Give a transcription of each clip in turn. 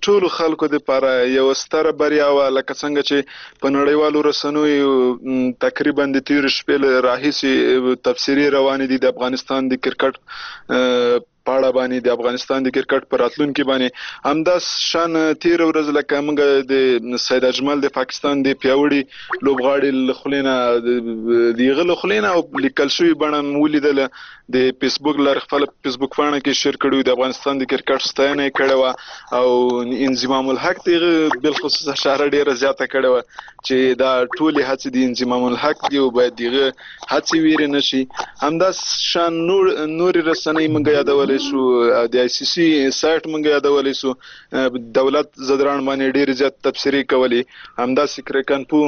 ټولو خلکو دپاره یوه ستره بریا وه. لکه څنګه چې په نړیوالو رسنیو تقریبا د تېرې شپې له راهیسې تبصرې روانې دي د افغانستان د کرکټ په اړه باندې، د افغانستان د کرکټ په راتلونکي باندې. همدا شان تېره ورځ لکه موږ د سید اجمل د پاکستان د پیاوړي لوبغاړي له خولې نه، د هغه له خولې نه او لیکل شوې بڼه مو ولیدله، د فیسبوک لارې خپله فیسبوک پاڼه کې شیر کړي، د افغانستان د کرکټ ستاینه یې کړې وه او انضمام الحق د هغه بالخصوص اشاره ډېره زیاته کړې وه چې دا ټولې هڅې د انضمام الحق دي او باید د هغه هڅې ویرې نه شي. همدا شان نورې رسنۍ موږ یادولی شو، د آی سي سي سایټ موږ یادولی شو، دولت ځدراڼ باندې ډېرې زیات تبصرې کولې، همداسې کرکنپو.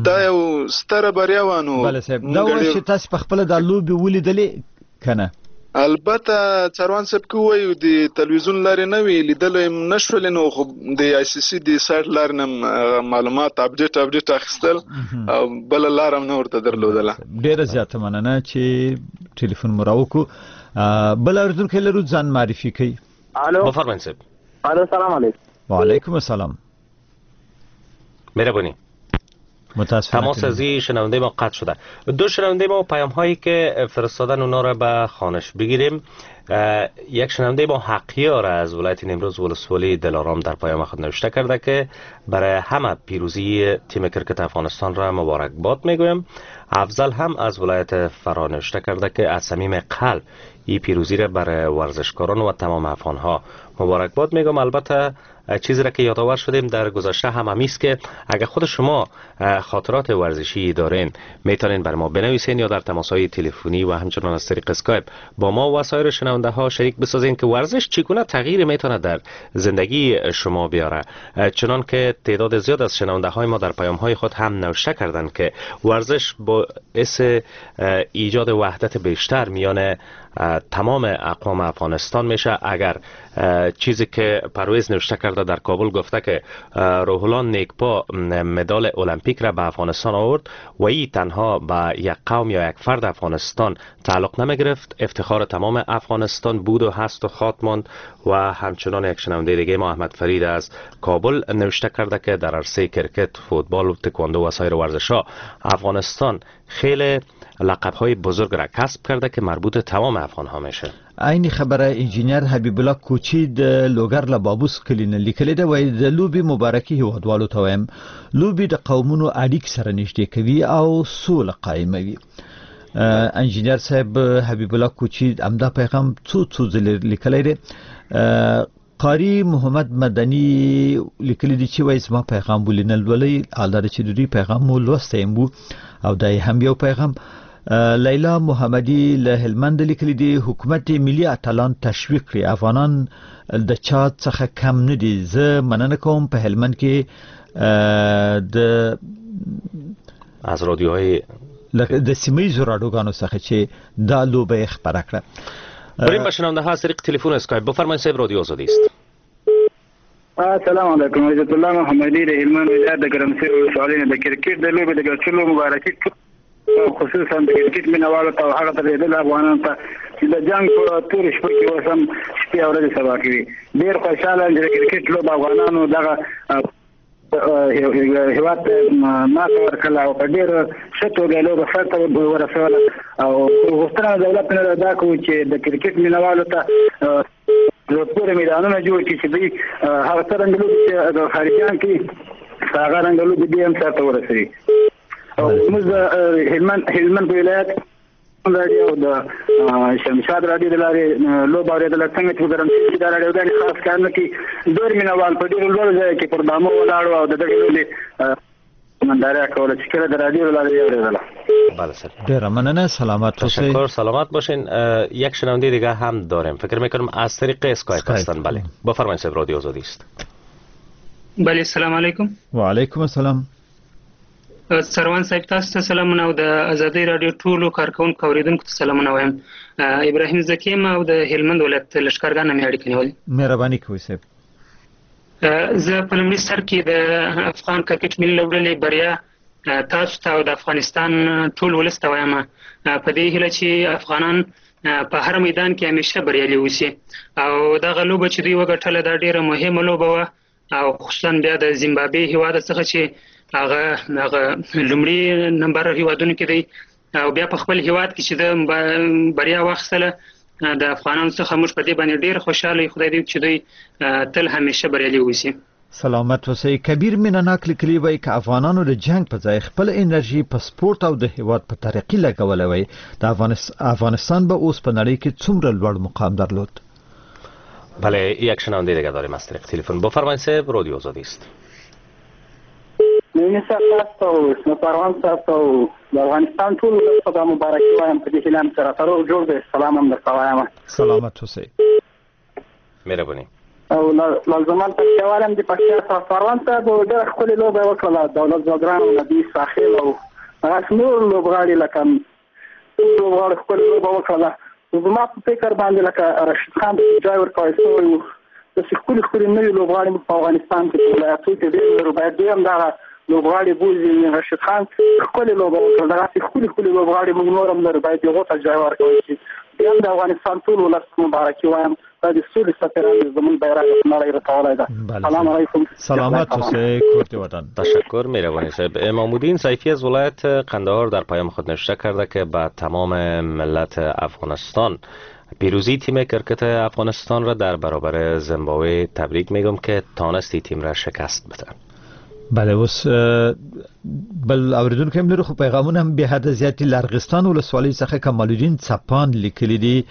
دا یو ستره بریا وه. نو بله صاحب، دا وایي چې تاسې په خپله دا لوبې ولیدلې که نه؟ البته څاروان صاحب که ووایو د تلویزیون لارې نه وي لیدلی نه شولې، نو خو د آی سي سي د سایټ لارې نه معلومات اپډیټ اخیستل او بله لار هم نه ورته درلودله. ډېره زیاته مننه چې ټلیفون مو راوکړو. بل اورېدونکی لرو، ځان معرفي کوي. الو، بفرمایئ صاحب. الو، سلام علیکم. وعلیکم السلام. مهربانی. متاسفانه تماس از این شنونده ما قطع شده. دو شنونده ما پیام هایی که فرستادن اونا را به خوانش بگیریم. یک شنونده ما حقیار از ولایت نیمروز ولسوالی دلارام در پیام خود نوشته کرده که برای همه پیروزی تیم کرکت افغانستان را مبارک باد میگویم. افضل هم از ولایت فراه نوشته کرده که از صمیم قلب این پیروزی را برای ورزشکاران و تمام افغان ها مبارک باد میگم. البته چیزی را که یادآور شدیم در گذشته هم همیست که اگر خود شما خاطرات ورزشی دارین میتونین بر ما بنویسین یا در تماس های تلفنی و همچنان از طریق اسکایپ با ما و سایر شنونده ها شریک بسازین که ورزش چگونه تغییر میتونه در زندگی شما بیاره. چنان که تعداد زیاد از شنونده های ما در پیام های خود هم نوشته کردند که ورزش باعث ایجاد وحدت بیشتر میان تمام اقوام افغانستان میشه. اگر چیزی که پرویز نوشته کرده در کابل گفته که روح الله نیکپا مدال المپیک را به افغانستان آورد و ای تنها به یک قوم یا یک فرد افغانستان تعلق نمیگرفت، افتخار تمام افغانستان بود و هست و خواهد ماند. و همچنان یک شنونده دیگه ما احمد فرید از کابل نوشته کرده که در عرصه کرکت، فوتبال و تکواندو و سایر ورزش‌ها افغانستان خیلی لقب‌های بزرگ را کسب کرده که مربوط تمام افغان‌ها میشه. عین خبره انجینر حبیب الله کوچی د لوګر له بابوس کلي نه لیکلې ده، وایي د لوبې مبارکي هیوادوالو ته وایم، لوبې د قومونو اړیک سره نږدې کوي او سوله قایموي. انجینر صاحب حبیب الله کوچی همدا پیغام څو څو ځلې لیکلی دی. قاری محمد مدني لیکلي دي چې وایي زما پیغام ولې نه لولئ، حال دا چې د دوی پیغام مو لوستی هم و او دا یې هم یو پیغام. لیلا محمدی له هلمند لیکلي دي، حکومت ملي اتلان تشویق کړي، افغانان د چا څخه کم نه دي. زه مننه کوم په هلمند کې د از رادیوهای د سیمه ییزو راډیوګانو څخه چې دا لوبه یې خپره کړه. بریم به شنونده ها از طریق تلفن اسکایپ. بفرمایید صاحب، رادیو آزادی است. السلام علیکم، عزت الله محمدی د هلمند ولایت د ګرمسیر ولسوالۍ نه د کرکټ د لوبې د ګټلو مبارکي خصوصا د کرکټ مینهوالو ته او هغه ترېدل افغانانو ته چې د جنګ په تورې شپه کې اوس هم شپې او ورځې سبا کوي. ډېر خوشحاله یم چې د کرکټ لوبه افغانانو دغه هېواد ته ماته ورکړله او په ډېره ښه توګه یې لوبه سرته ورسوله. او غوښتنه دولت نه دا کوو چې د کرکټ مینهوالو ته زړه پورې میدانونه جوړ کړي چې دوی هغه څرنګه لوبې چې د خارجیان کوي هغه رنګه لوبې دوی هم سرته ورسوي. او موږ د هلمند په ولایت راډیو او د شمشاد راډیو د لارې لوبه اورېدله. څنګه چې په ګرمسیر کې دا راډیوګانې خاص کار نه کوي، ډېر مینهوال په ډېرو لوړو ځایو کې پر بامو ولاړ وو او د دغې لوبې ننداره کوله چې کله د رادیو له لارې یې اورېدله. بله سر. ډېره مننه، سلامت اوسئ. تشکر، سلامت باشین. یک شنونده دیگه هم داریم، فکر میکنم از طریق اسکایپ هستن. بله بفرمایید صاحب، رادیو آزادی است. بله، سلام علیکم. وعلیکم السلام. سروان صاحب تاسو ته سلامونه او د ازادۍ راډیو ټولو کارکوونکو اورېدونکو ته سلامونه وایم. ابراهیم ذکي یم او د هلمند ولایت لښکرګاه نه مې اړیکه نیولې. مهرباني کوئ صاحب. زه په لومړي سر کې د افغان کرکټ ملي لوبډلې بریا تاسو ته او د افغانستان ټول ولس ته وایم، په دې هیله چې افغانان په هر میدان کې همیشه بریالي اوسي. او دغه لوبه چې دوی وګټله دا ډېره مهمه لوبه وه. او خصوصا بیا د زیمبابوې هیواد څخه چې هغه لومړي نمبر هیوادونو کې دی او بیا په خپل هیواد کې چې د بریا واخیستله د افغانانو څخه موږ په دې باندې ډېر خوشحاله یو. خدای دې وکړي چې دوی تل همیشه بریالي اوسي. سلامت اوسئ. کبیر مینناک لیکلي وایي که افغانانو د جنگ په ځای خپل انرژي په سپورت او د هیواد په ترقي لګولی وای، د افغانستان به اوس په نړۍ کې څومره لوړ مقام درلود. بله، یک شنونده دیگه داریم از طریق تلفن. بفرمایید صاحب، رادیو آزادی است. نعیمي صاحب تاسو ته او پروان صاحب ته او د افغانستان ټول ولس ته دا مبارکي وایم. په دې هیله هم چې راته روغ جوړ دی. سلام هم درته وایم. سلامت اوسئ. مهرباني. او لازمان پکتیاوال هم د پکتیا صاحب پروان صاحب ډېره ښکلې لوبه یې وکړله. دولت ځدران او نبي ساخیل او هغه نور لوبغاړي لکه ټول لوبغاړو ښکلې لوبه وکړله. زما په فکر باندې لکه رشید خان ته ځای ورکړی شوی و، داسې ښکلي ښکلي نوي لوبغاړي موږ په افغانستان کې په ولایتو کې ډېر لرو، باید دوی هم دغه لوبغاړي بوځي. رشید خان ښکلې لوبه وکړه، دغسې ښکلي ښکلي لوبغاړي موږ نور هم لرو، باید هغو ته ځای ورکړی شي. بیا هم د افغانستان ټول ولس ته مبارکي وایم. دا د سولې سفیران دي، زموږ بیرغ په نړۍ رسولی ده. سلام علیکم. سلامت اوسئ، کور دې ودان. تشکر، مهربانی صاحب. امامالدین سیفی از ولایت قندهار در پیام خود نوشته کرده که به تمام ملت افغانستان پیروزی تیم کرکت افغانستان را در برابر زیمبابوه تبریک میگم که تانست تیم را شکست بده. بله، اوس بل اوریدونکی هم لرو، خو پیغامونه هم بې حده زیات دي. له ارغستان ولسوالۍ څخه کمال الدین څپان لیکلي دي،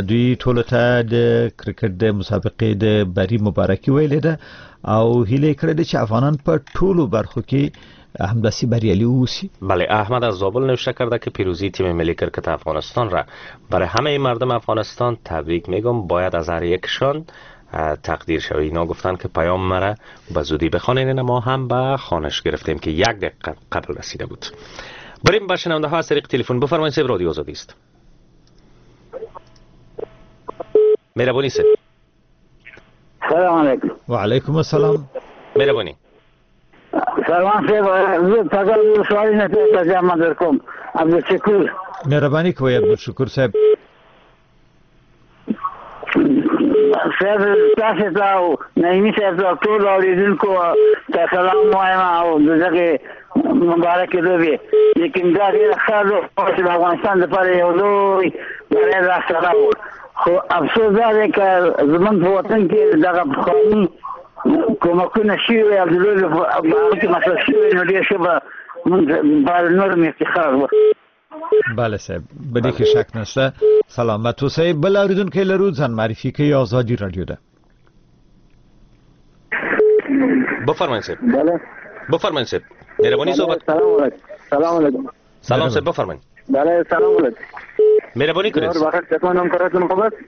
دوی ټولو ته د کرکټ د مسابقې د بري مبارکي ویلې ده او هیله یې کړې ده چې افغانان په ټولو برخو کې همداسې بریالي اوسي. بله، احمد از زابل نوشته کرده که پیروزی تیم ملی کرکت افغانستان را برای همه مردم افغانستان تبریک میگم، باید از هر یکشان تقدیر شوی. اینا گفتن که پیام مرا به زودی بخوانین، ما هم به خوانش گرفتیم که یک دقیقه قبل رسیده بود. بریم به شنونده ها از طریق تلفن. بفرمایید صاحب، رادیو آزادی است. مهربانی صاحب. سلام علیکم. و علیکم السلام. مهربانی. سلام صاحب، زه تازه ولسوالۍ نه تازه در کوم، عبدالشکور. مهرباني کوئ عبدالشکور صاحب. صاحب تاسو ته او نعیمي صاحب ته ټولو اورېدونکو ته سلام وایم او د دغې مبارکې لوبې. لیکن دا ډېره ښه لوبه چې د افغانستان لپاره یو لوی بری لاسته راوړ، خو افسوس دا دی که زموږ په وطن کې دغه پخواني کومکونه شوي وای او د لوبې په هغه کې مصرف شوي وای، نو ډېر ښه به موږ لپاره نور هم افتخار وو. بله صاحب، به دې کې شک نشته. سلامت اوسئ. بل اوریدونکی لرو، ځان معرفي کوي، ازادي رادیو ده. بفرمایید صاحب. بله. بفرمایید صاحب. مهربانی صحبت. سلام علیکم. سلام علیکم. سلام صاحب، بفرمایید. بله، سلام علیکم. مهربانی کنید.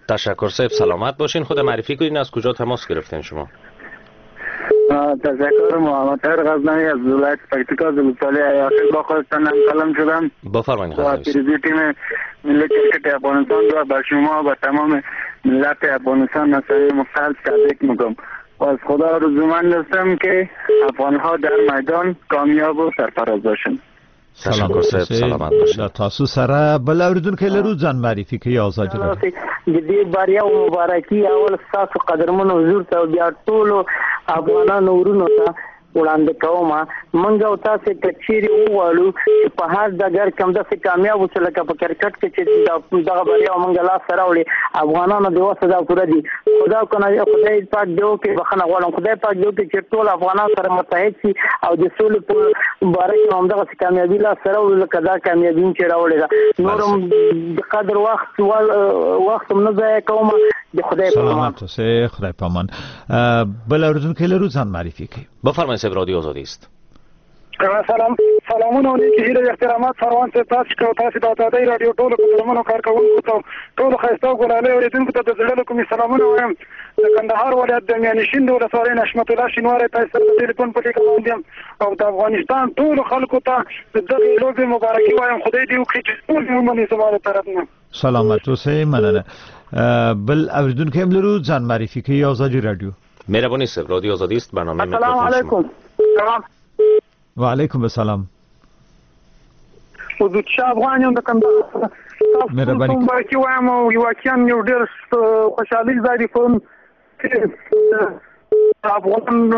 تشکر صاحب، سلامت باشین. خود معرفی کنین، از کجا تماس گرفتین شما؟ تشکر، محمد طاهر غزنوی از ولایت پکتیکا ولسوالی ایاخیل با خودتان هم کلام شدم. بفرمایید. با پیروزی تیم ملی کرکت افغانستان را به شما و تمام ملت افغانستان از صمیم قلب تبریک میگم و از خدا آرزومند هستم که افغانها در میدان کامیاب و سرفراز باشند. تشکر صاحب، سلامت باشید. له تاسو سره بل اوریدونکی لرو، ځان معرفي کوي، ازادي رادیو. د دې بریا او مبارکي اول ستاسو قدرمن حضور ته او بیا ټولو افغانانو ورونو ته وړاندې کوم. موږ او تاسې که چیرې وغواړو چې په هر ډګر کې همداسې کامیاب اوسو لکه په کرکټ کې چې دغه بریا موږ لاسته راوړې، افغانانو د وسه دا پوره دي. خدا کنه خدای پاک دې وکړي، بخښنه غواړم، خدای پاک دې وکړي چې ټول افغانان سره متحد شي او د سولې په باره کې همدغسې کامیابي لاسته راوړو لکه دا کامیابي چې راوړې ده. نور هم د قدر وخت وخت هم نه ضایع کوم. د خدای په امان. سلامت اوسئ، خدای په امان. بل اوریدونکی لرو، ځان معرفي کوي. بفرمایید صاحب، رادیو آزادی است. سلام، سلامونه او نیکې هیلې او احترامات فروان صاحب تاسو ته او تاسو د ازادۍ راډیو ټولو قدرمنو کارکوونکو ته، ټولو ښایسته او ګلالۍ اورېدونکو ته د زړه له کومې سلامونه وایم. د کندهار ولایت د میانشین د ولسوالۍ نشمت الله شینواری تاسو سره د ټلیفون په لیکه باندې یم او د افغانستان ټولو خلکو ته د دغې لوبې مبارکي وایم. خدای دې وکړي چې ټول یې ومني زما له طرف نه. سلامت اوسئ، مننه. بل اوریدونکی هم لرو، ځان معرفي کوي، ازادي راډیو. مهربانی صاحب، رادیو آزادی است، برنامه السلام علیکم. سلام. و علیکم السلام. حضور شاه افغان یم د کندهار. مهرباني. مبارکي وایم او واقعا یو ډېر خوشحالي ځای دی. افغان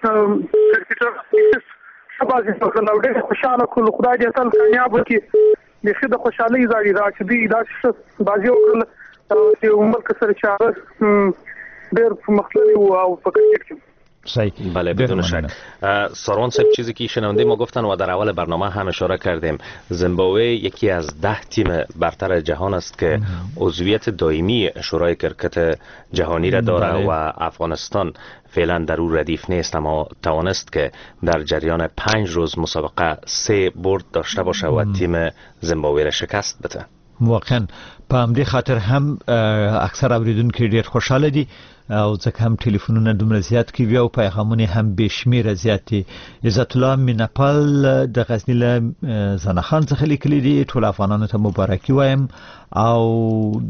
کرکټر ښه بازي وکړله او ډېر خوشحاله کړلو. خدای دې تل کامیاب وکړي. بیخي د خوشحالۍ ځای دی دا چې دوی داسې ښه بازي وکړله چې یو ملک سره چې هغه ډېر پرمختللی و او په کرکټ کې. صحیح. بله بدون شک. ساروان صاحب، چیزی که شنونده ما گفتن و در اول برنامه هم اشاره کردیم، زیمبابوه یکی از 10 تیم برتر جهان است که عضویت دائمی شورای کرکت جهانی را داره و افغانستان فعلا در او ردیف نیست، اما توانست که در جریان 5 روز مسابقه 3 برد داشته باشه و تیم زیمبابوه را شکست بده. واقعا په همدې خاطر هم اکثر اوریدونکي ډیر خوشحاله دي او ځکه هم ټلیفونونه دومره زیات کوي او پیغامونه هم بې شمېره زیات دي. عزت الله مینهپال د غزني له زنخان څخه لیکلي دي، ټول افغانانو ته مبارکي وایم او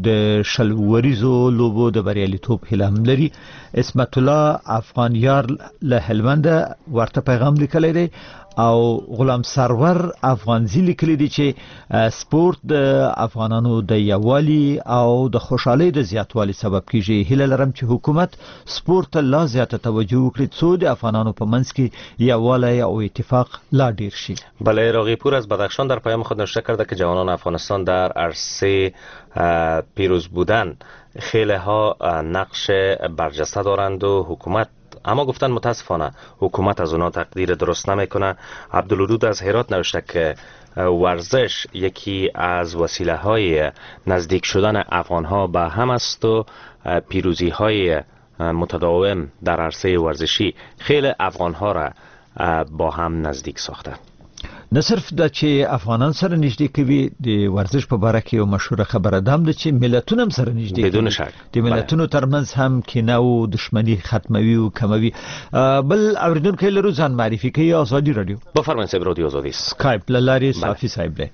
د 20 اوریزو لوبو د بریالیتوب هیله هم لري. عصمت الله افغانیار له هلمنده ورته پیغام لیکلی دی او غلام سرور افغانزی لیکلی دی چې سپورت د افغانانو د یووالي او د خوشحالۍ د زیاتوالي سبب کیږي. هیله لرم چې حکومت سپورت ته لا زیاته توجه وکړي څو د افغانانو په منځ کې یووالی او اتفاق لا ډیر شي. بله، راغیپور از بدخشان در پیام خود نوشته کرده که جوانان افغانستان در عرصه پیروز بودن خیلی ها نقش برجسته دارند و حکومت، اما گفتن متاسفانه حکومت از اونا تقدیر درست نمیکنه. عبدالودود از هرات نوشته که ورزش یکی از وسیله های نزدیک شدن افغان ها به هم است و پیروزی های متداوم در عرصه ورزشی خیلی افغان ها را با هم نزدیک ساخته. نه صرف دا چې افغانان سره نږدې کوي، د ورزش په باره کې یو مشهوره خبره ده هم ده چې ملتونه هم سره نږدې کوي. بدون شک د ملتونو ترمنځ هم کینه او دښمني ختموي او کموي. بل اوریدونکی لرو، ځان معرفي کوي. ازادي رادیو. بفرمایئ صاحب، رادیو ازادي. سکایپ له لارې صافي صاحب دی.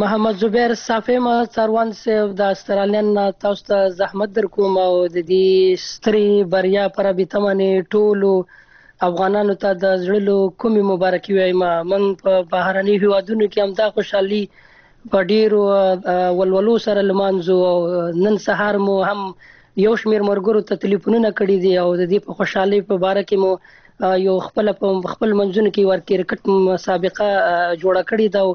محمد زبیر صافی ما څاروان صاحب د استرالیا نه تاسو ته زحمت در کوم او د دې سترې بریا په رابطه باندې ټولو افغانانو ته د زړه له کومې مبارکي وایم. موږ په بهرنیو هیوادونو کې هم دا خوشحالي په ډېرو ولولو سره لمانځو او نن سهار مو هم یو شمېر ملګرو ته تلیفونونه کړي دي او د دې په خوشحالۍ په باره کې مو یو خپل په خپل منځونو کې ور کرکټ مسابقه جوړه کړې ده. او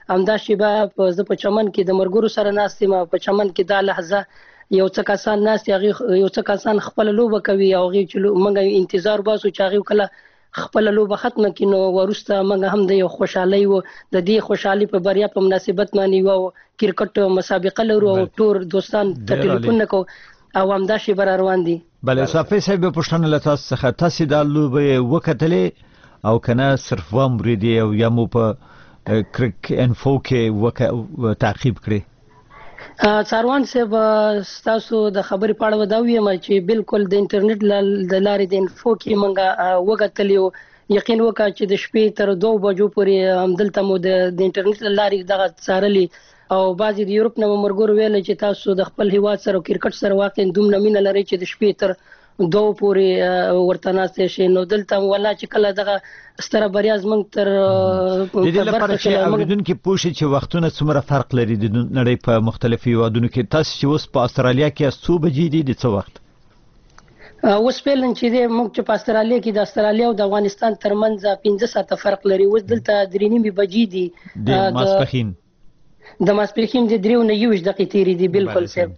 همدا شېبه زه په چمن کې د ملګرو سره ناست یم. په چمن کې دا لحظه یو څه کسان ناست دي، هغې یو څه کسان خپله لوبه کوي او هغې چې موږ انتظار باسو چې هغې کله خپله لوبه ختمه کړي نو وروسته موږ هم د یو خوشحالۍ و د دې خوشحالۍ په بریا په مناسبت باندې یو کرکټ مسابقه لرو او ټول دوستان ته ټلیفون کوو او همدا شېبه را روان دي. بله صافي صاحب، پوښتنه له تاسو څخه، تاسې دا لوبه وکتلې او که نه صرف وامرېدې او یا مو په کرک انفو کې تعقیب کړې؟ څاروان صاحب، ستاسو د خبرې په اړه به دا ووایم چې بالکل د انټرنیټ د لارې د انفو کې موږ وکتلې او یقین وکړه چې د شپې تر 2 بجو پورې همدلته مو د انټرنیټ له لارې دغه څارلې او بعضې د یورپ نه مو ملګرو ویل چې تاسو د خپل هیواد سره او کرکټ سره واقعا دومره مینه لرئ چې د شپې تر 2 پورې ورته ناست شئ. نو دلته ولا چې کله دغه ستره بریا زموږ تر د دې لپاره چې اورېدونکي پوه شي چې وختونه څومره فرق لري د نړۍ په مختلفو هیوادونو کې، تاسو چې اوس په استرالیا کې یاست څو بجې دي، د څه وخت؟ اوس فعلا چې دی موږ چې په استرالیا کې د استرالیا او د افغانستان ترمنځ 5 ساعته فرق لري. اوس دلته 3:30 بجې دي. د ماسپښین د ماسپښین د 3:21 دقیقې تېرې دي. بالکل صاحب،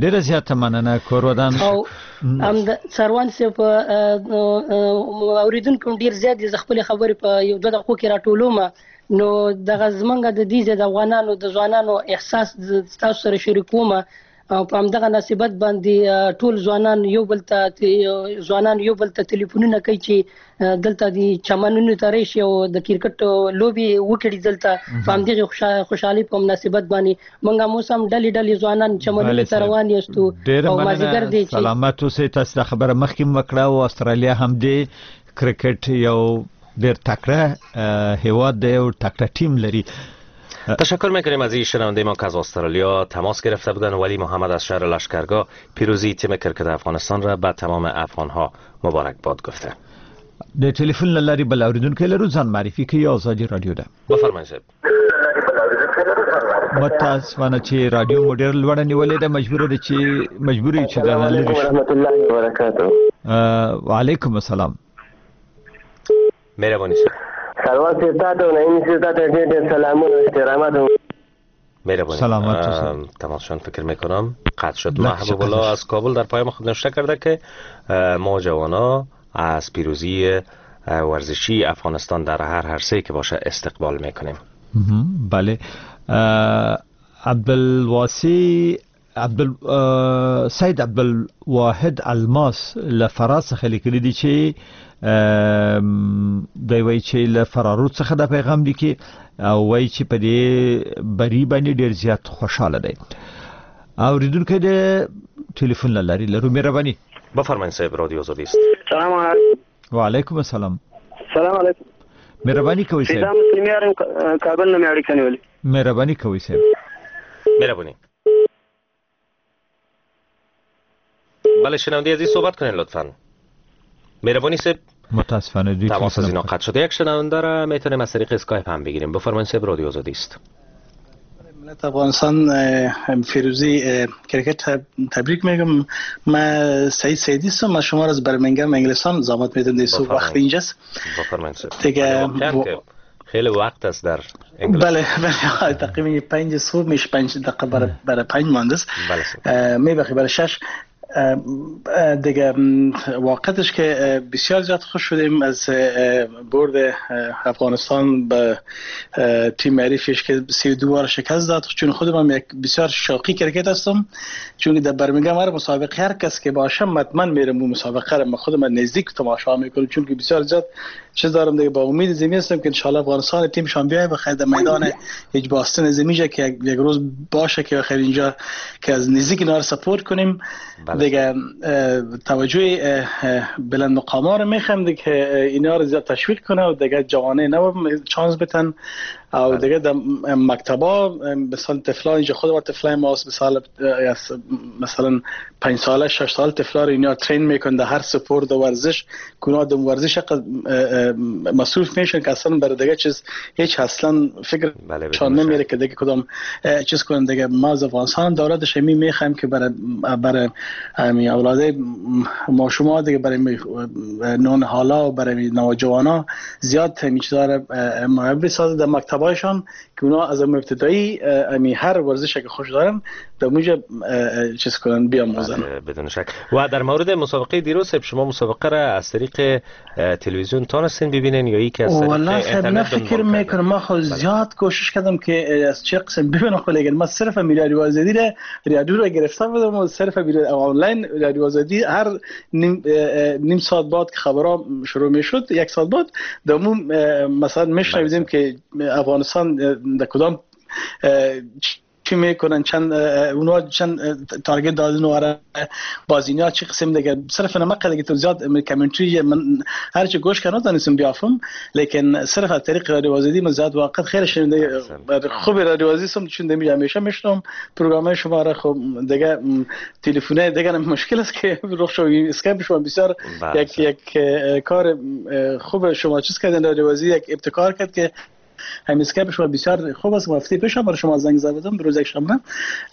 ډېره زیاته مننه، کور ودان. او هم د څاروان صاحب اورېدونکي هم ډېر زیات دي. زه خپلې خبرې په یو 2 دقیقو کې راټولوم. نو دغه زمونږ د دې ځای د افغانانو د ځوانانو احساس تاسو سره شریکوم او په همدغه مناسبت باندې ټول ځوانان یو بل ته ځوانان یو بل ته ټلیفونونه کوي چې دلته د چمنونو ته راشي او د کرکټ لوبې وکړي. دلته په همدغې خوشحالۍ په مناسبت باندې موږ هم اوس هم ډلې ډلې ځوانان چمنونو ته روان یاستو او مازدیګر دی چې سلامت اوسئ. تاسو دا خبره مخکې هم وکړه او استرالیا هم دی کرکټ یو ډېر تکړه هیواد دی او تکړه ټیم لري. تشکر میکنیم از این شنونده ما که از استرالیا تماس گرفته بودن. ولی محمد از شهر لشکرگاه پیروزی تیم کرکت افغانستان را به تمام افغانها مبارک باد گفته. د ټلیفون له لارې بل اوریدونکی لرو، ځان معرفي کوي. ازادي رادیو ده. بفرمایئ صاحب. متاسفانه چې رادیو مو ډېر لوړه نیولې ده، مجبور یو چې درنه لرې شو. ورحمت الله وبرکاته. وعلیکم السلام. مهرباني صاحب. سلام صاحب تاته او نعیم صاحب تاته ډېر ډېر سلامونه او احترامات. مهربانی. سلامت. تماسشان فکر میکنم قطع شد. محبوب الله از کابل در پیام خود نوشته کرده که ما جوانا از پیروزی ورزشی افغانستان در هر عرصه‌ای که باشه استقبال میکنیم. بله. عبدالواسي سید عبدالواحد الماس له فراه څخه لیکلي دي چې دی وایي چې له فرارود څخه دا پیغام لیکي او وایي چې په دې بري باندې ډېر زیات خوشحاله دی. اوریدونکی د تلفن له لارې لرو. مهرباني. بفرمایئ صاحب، رادیو آزادی است. سلام علیکم. و علیکم السلام. سلام علیکم. مهرباني کوئ صاحب. فضا مسلم یارم کابل نه مې اړیکه نیولې. مهرباني کوئ صاحب. مهرباني. بله شنونده عزیز صحبت کنین لطفاً. مهربانی صاحب. متاسفانه دوی تماس از اینا قطع شده. یک شنونده را میتونیم از طریق اسکایپ هم بگیریم. بفرمایید صاحب، رادیو آزادی است. ملت افغانستان فیروزی کرکت تبریک میگم. من سعید سعیدی هستم، من شما را از برمنگم انگلستان زحمت میدم. در صبح وقت اینجاست. بفرمایید صاحب. دیگه خیلی وقت است در انگلستان. بله بله، تقریبا 5 صبح میشه، 5 دقیقه برای 5 مانده است. بله. میبخشید برای 6. دیگه واقعیتش که بسیار زیاد خوش شدیم از برد افغانستان به تیم حریفش که 32 بار شکست داد. چون خودم یک بسیار شوقی کرکت هستم، چون در برمنگام هر مسابقه هر کس که باشم حتما میرم اون مسابقه رو خودم نزدیک تماشا میکنم، چون که بسیار زیاد چیز دارم دیگه. با امید زمین هستم که ان شاء الله افغانستان تیم شان بیای بخیر در میدان هیچ باستن زمینجا که یک روز باشه که بخیر اینجا که از نزدیک اینا رو سپورت کنیم. بله. دیگه توجه بلند مقاما رو میخوام دیگه اینا رو زیاد تشویق کنه و دیگه جوانه نو چانس بتن او دیگه در مکتبا مثلا طفلان اینجا خود طفلای ماست، مثلا 5 ساله 6 سال طفلا رو اینا ترین میکنن در هر سپورت و ورزش کنا در ورزش مصروف میشن که اصلا برای دیگه چیز هیچ اصلا فکر شان نمیره که دیگه کدام چیز کنن. دیگه ما از افغانستان دولتش می میخوایم که برای همین اولاد ما شما دیگه برای نون حالا و برای نوجوانا زیاد همین چیزا رو مهیا بسازه در مکتبایشان که اونا از ابتدایی امی هر ورزش که خوش دارن در اونجا چیز کنن بیاموزن. بدون شک. و در مورد مسابقه دیروز شما مسابقه را از طریق تلویزیون تانستین ببینین یا یکی از طریق اینترنت؟ فکر میکنم ما خو زیاد کوشش کردم که از چه قسم ببینم، خو لیکن ما صرف رادیو آزادی را رادیو را گرفته بودم و صرف آنلاین رادیو آزادی هر نیم ساعت بعد که خبرها شروع میشد یک ساعت بعد دمو مثلا میشنیدیم که افغانستان در کدام چی میکنن، چند اونا چند target دادن و بازینا چه قسم دیگه. صرف نمقه دیگه تو زیاد commentary من هر چی گوش کردم تانستم بیافم، لیکن صرف از طریق رادیو آزادی من زیاد واقعا خیلی شنیده خوب رادیو آزادی سم چون دمی همیشه میشنم پروگرام شما را. خب دیگه تلفن دیگه مشکل است که رخ شو اسکایپ شما بسیار یک کار خوب شما چیز کردن. رادیو آزادی یک ابتکار کرد که همین اسکایپ شما بسیار خوب است. هفته پیش برای شما زنگ زده بودم روز یک شنبه،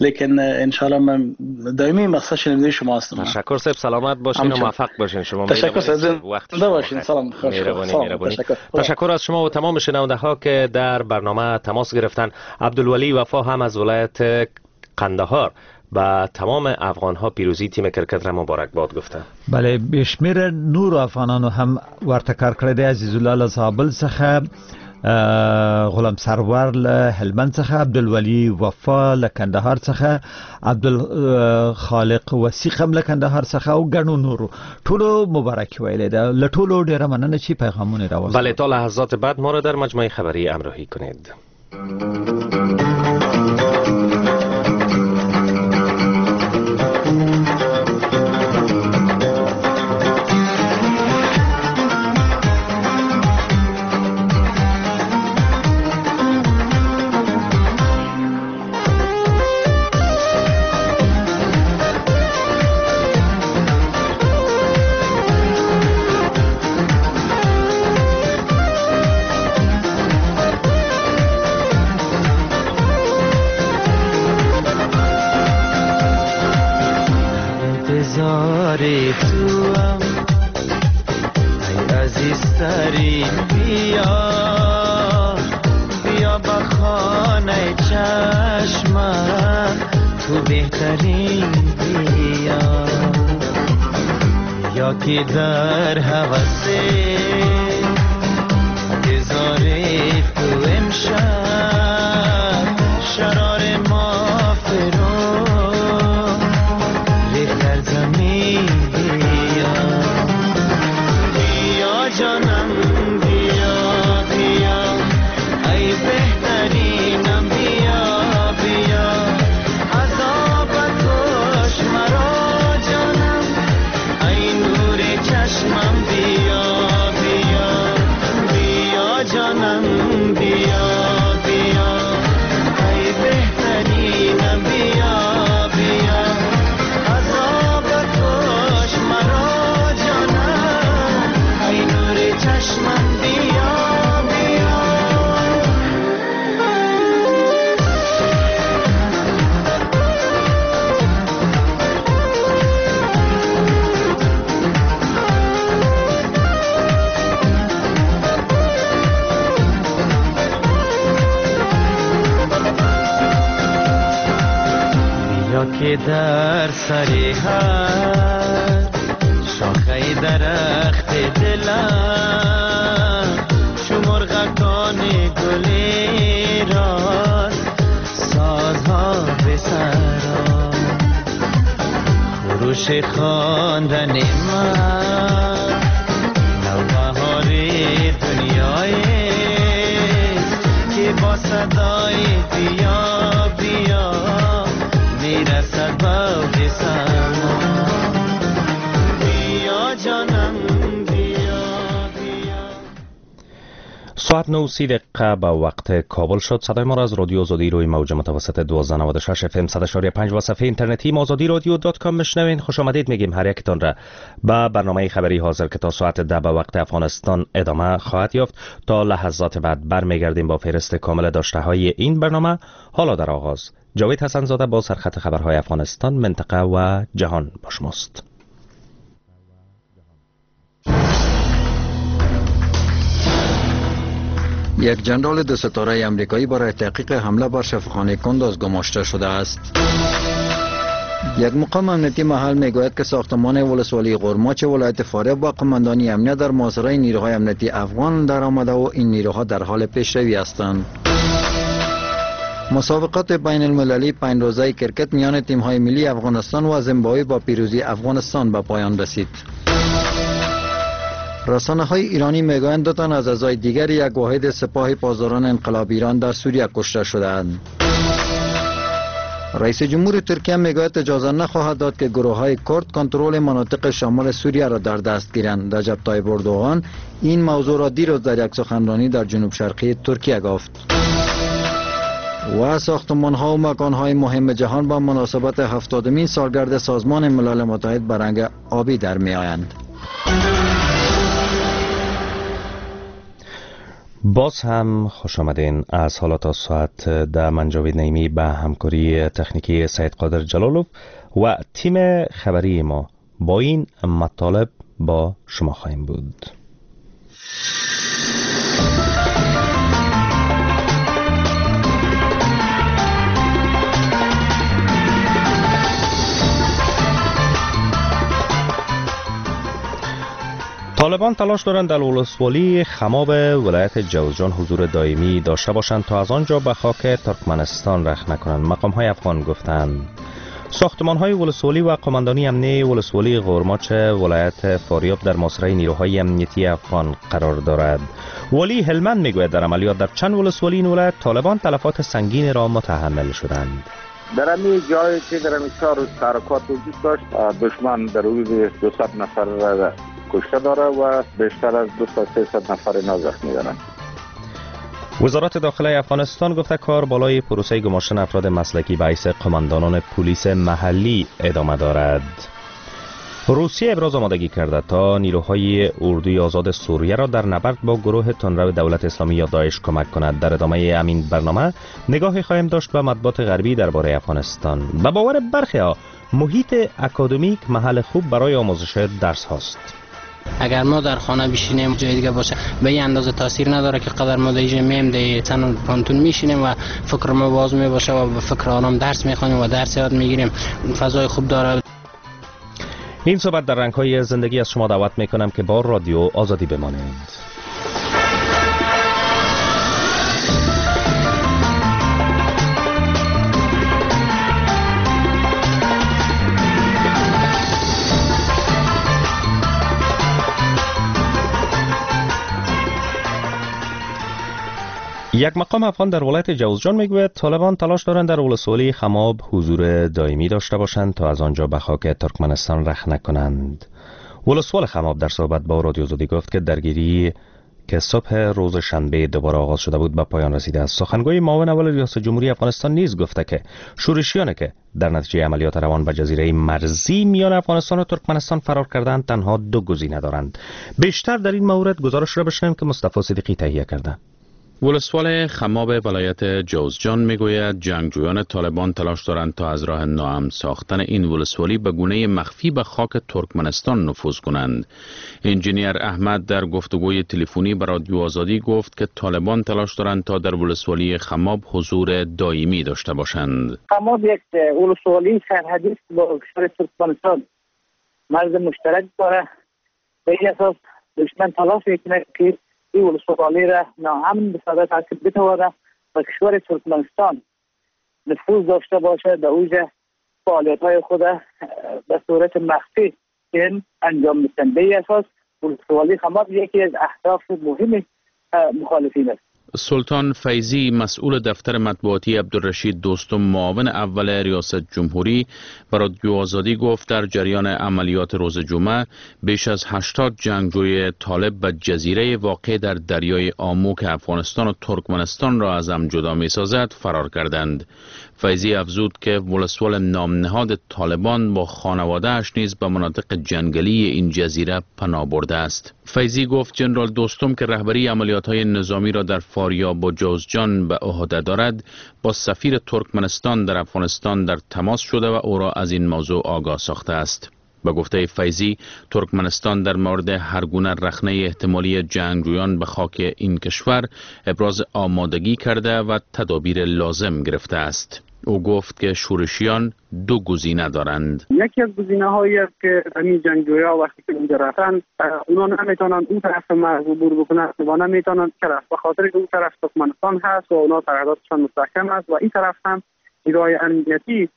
لیکن ان شاء الله من دائمی مقصد شنونده شما هستم. تشکر صاحب، سلامت باشین و موفق باشین. شما تشکر صاحب، وقت باشین. سلام. مهربانی. تشکر از شما و تمام شنونده ها که در برنامه تماس گرفتن. عبدالولی وفا هم از ولایت قندهار با تمام افغان ها پیروزی تیم کرکت را مبارک باد گفته. بله، بشمیر نور افغانانو هم ورته کار کړی دی. عزیز الله له زابل څخه، غلام سرور له هلمند څخه، عبدالولی وفا له کندهار څخه، عبدالخالق وثیق هم له کندهار څخه او ګڼو نورو ټولو مبارکي ویلې ده. له ټولو ډېره مننه چې پیغامونه راوستل. بله، تا لحظات بعد ما را در مجموعه خبری همراهی کنید. عزیزترین بیا، بیا به خانه چشمم تو بهترین بیا. یا که در هوس انتظار تو امشب شرار ما فرو ریخت در زمین بیا. بیا جانم بیا بیا ای بهترینم بیا بیا، عذاب کش مرا جانم ای نور چشمم بیا بیا. بیا جانم بیا بیا ای بهترینم بیا بیا، عذاب کش مرا جانم ای نور چشمم بیا بیا. بیا که در سر هر شاخه درخت دلم چو مرغکان گلی راست سازها به سرا. خروش خواندن من نوبهار دنیای که با صدای بیا بیا میرسد به اوج سما. بیا جانم بیا بیا. ساعت 9:30 به وقت کابل شد. صدای ما را از رادیو آزادی روی موج متوسط 1296 اف ام 100.5 و صفحه اینترنتی آزادی رادیو.com میشنوین. خوش آمدید میگیم هر یکتان را به برنامه خبری حاضر که تا ساعت 10 به وقت افغانستان ادامه خواهد یافت. تا لحظات بعد برمیگردیم با فهرست کامل داشته های این برنامه. حالا در آغاز جاوید حسن زاده با سرخط خبرهای افغانستان، منطقه و جهان با شماست. یک جنرال دو ستاره امریکایی برای تحقیق حمله بر شفاخانه کندوز گماشته شده است. یک مقام امنیتی محل میگوید که ساختمان ولسوالی غرماچ ولایت فاریاب با قماندانی امنیت در محاصره نیروهای امنیتی افغان در آمده و این نیروها در حال پیشروی هستند. مسابقات بین المللی 5 روزه کرکت میان تیم‌های ملی افغانستان و زیمبابوه با پیروزی افغانستان به پایان رسید. رسانه های ایرانی میگویند 2 تن از اعضای دیگر یک واحد سپاه پاسداران انقلاب ایران در سوریه کشته شده‌اند. رئیس جمهور ترکیه میگوید اجازه نخواهد داد که گروه های کرد کنترل مناطق شمال سوریه را در دست گیرند. رجب طیب اردوغان این موضوع را دیروز در یک سخنرانی در جنوب شرقی ترکیه گفت. و ساختمان ها و مکان های مهم جهان با مناسبت 70مین سالگرد سازمان ملل متحد به رنگ آبی در می آیند. باز هم خوش آمدین. از حالا تا ساعت 10 من جاوید نعیمی به همکاری تکنیکی سید قادر جلالوف و تیم خبری ما با این مطالب با شما خواهیم بود. طالبان تلاش دارند در ولسوالی خماب ولایت جوزجان حضور دائمی داشته باشند تا از آنجا به خاک ترکمنستان رخ نکنند. مقام های افغان گفتند ساختمان های ولسوالی و قماندانی امنی ولسوالی غرماچ ولایت فاریاب در محاصره نیروهای امنیتی افغان قرار دارد. والی هلمند میگوید در عملیات در چند ولسوالی این ولایت طالبان تلفات سنگین را متحمل شدند. در همین جایی که در همین 4 روز تحرکات وجود داشت، دشمن در حدود 200 نفر کشته داره و بیشتر از 200-300 نفر اینا زخمی دارند. وزارت داخله افغانستان گفته کار بالای پروسه گماشتن افراد مسلکی به حیث قماندانان پلیس محلی ادامه دارد. روسیه ابراز آمادگی کرده تا نیروهای اردوی آزاد سوریه را در نبرد با گروه تندرو دولت اسلامی یا داعش کمک کند. در ادامه همین برنامه نگاهی خواهیم داشت به مطبوعات غربی درباره افغانستان. به باور برخی ها محیط اکادمیک محل خوب برای آموزش درس هاست. اگر ما در خانه بشینیم جای دیگه باشه به این اندازه تاثیر نداره که قدر ما در اینجا میم در تن پانتون میشینیم و فکر ما باز می باشه و به فکر آرام درس میخوانیم و درس یاد میگیریم. فضای خوب داره. این صحبت در رنگ‌های زندگی از شما دعوت میکنم که با رادیو آزادی بمانید. یک مقام افغان در ولایت جوزجان میگوید طالبان تلاش دارند در ولسوالی خماب حضور دائمی داشته باشند تا از آنجا به خاک ترکمنستان رخنه کنند. ولسوال خماب در صحبت با رادیو آزادی گفت که درگیری که صبح روز شنبه دوباره آغاز شده بود به پایان رسیده است. سخنگوی معاون اول ریاست جمهوری افغانستان نیز گفته که شورشیان که در نتیجه عملیات روان به جزیره مرزی میان افغانستان و ترکمنستان فرار کردند تنها دو گزینه دارند. بیشتر در این مورد گزارش را بشنویم که مصطفی صدیقی تهیه کرده. ولسوال خماب ولایت جوزجان میگوید جنگجویان طالبان تلاش دارند تا از راه ناامن ساختن این ولسوالی به گونه مخفی به خاک ترکمنستان نفوذ کنند. انجینیر احمد در گفتگوی تلفنی به رادیو آزادی گفت که طالبان تلاش دارند تا در ولسوالی خماب حضور دائمی داشته باشند. خماب یک ولسوالی سرحدی است با کشور ترکمنستان، مرز مشترک داره. به این اساس دشمن تلاش میکنه که این ولسوالی را ناامن بسازد تا که بتواند به کشور ترکمنستان نفوذ داشته باشه، در اوج فعالیت‌های خود به صورت مخفی انجام میدن. به این اساس ولسوالی خماب یکی از اهداف مهم مخالفین است. سلطان فیضی مسئول دفتر مطبوعاتی عبدالرشید دوستم معاون اول ریاست جمهوری به رادیو آزادی گفت در جریان عملیات روز جمعه بیش از 80 جنگجوی طالب به جزیره واقع در دریای آمو که افغانستان و ترکمنستان را از هم جدا می‌سازد فرار کردند. فیضی افزود که ولسوال نامنهاد طالبان با خانواده‌اش نیز به مناطق جنگلی این جزیره پناه برده است. فیضی گفت جنرال دوستم که رهبری عملیات‌های نظامی را در فاریاب و جوزجان به عهده دارد با سفیر ترکمنستان در افغانستان در تماس شده و او را از این موضوع آگاه ساخته است. به گفته فیضی ترکمنستان در مورد هر گونه رخنه احتمالی جنگجویان به خاک این کشور ابراز آمادگی کرده و تدابیر لازم گرفته است. او گفت که شورشیان دو گزینه دارند. یکی از گزینه هایی است که همین جنگجویا وقتی که اونجا رفتن اونا نمیتونن اون طرف مرز عبور بکنن و نمیتونن طرف به خاطر که اون طرف ترکمنستان هست و اونا سرحداتشان مستحکم است و این طرف هم نیروهای امنیتی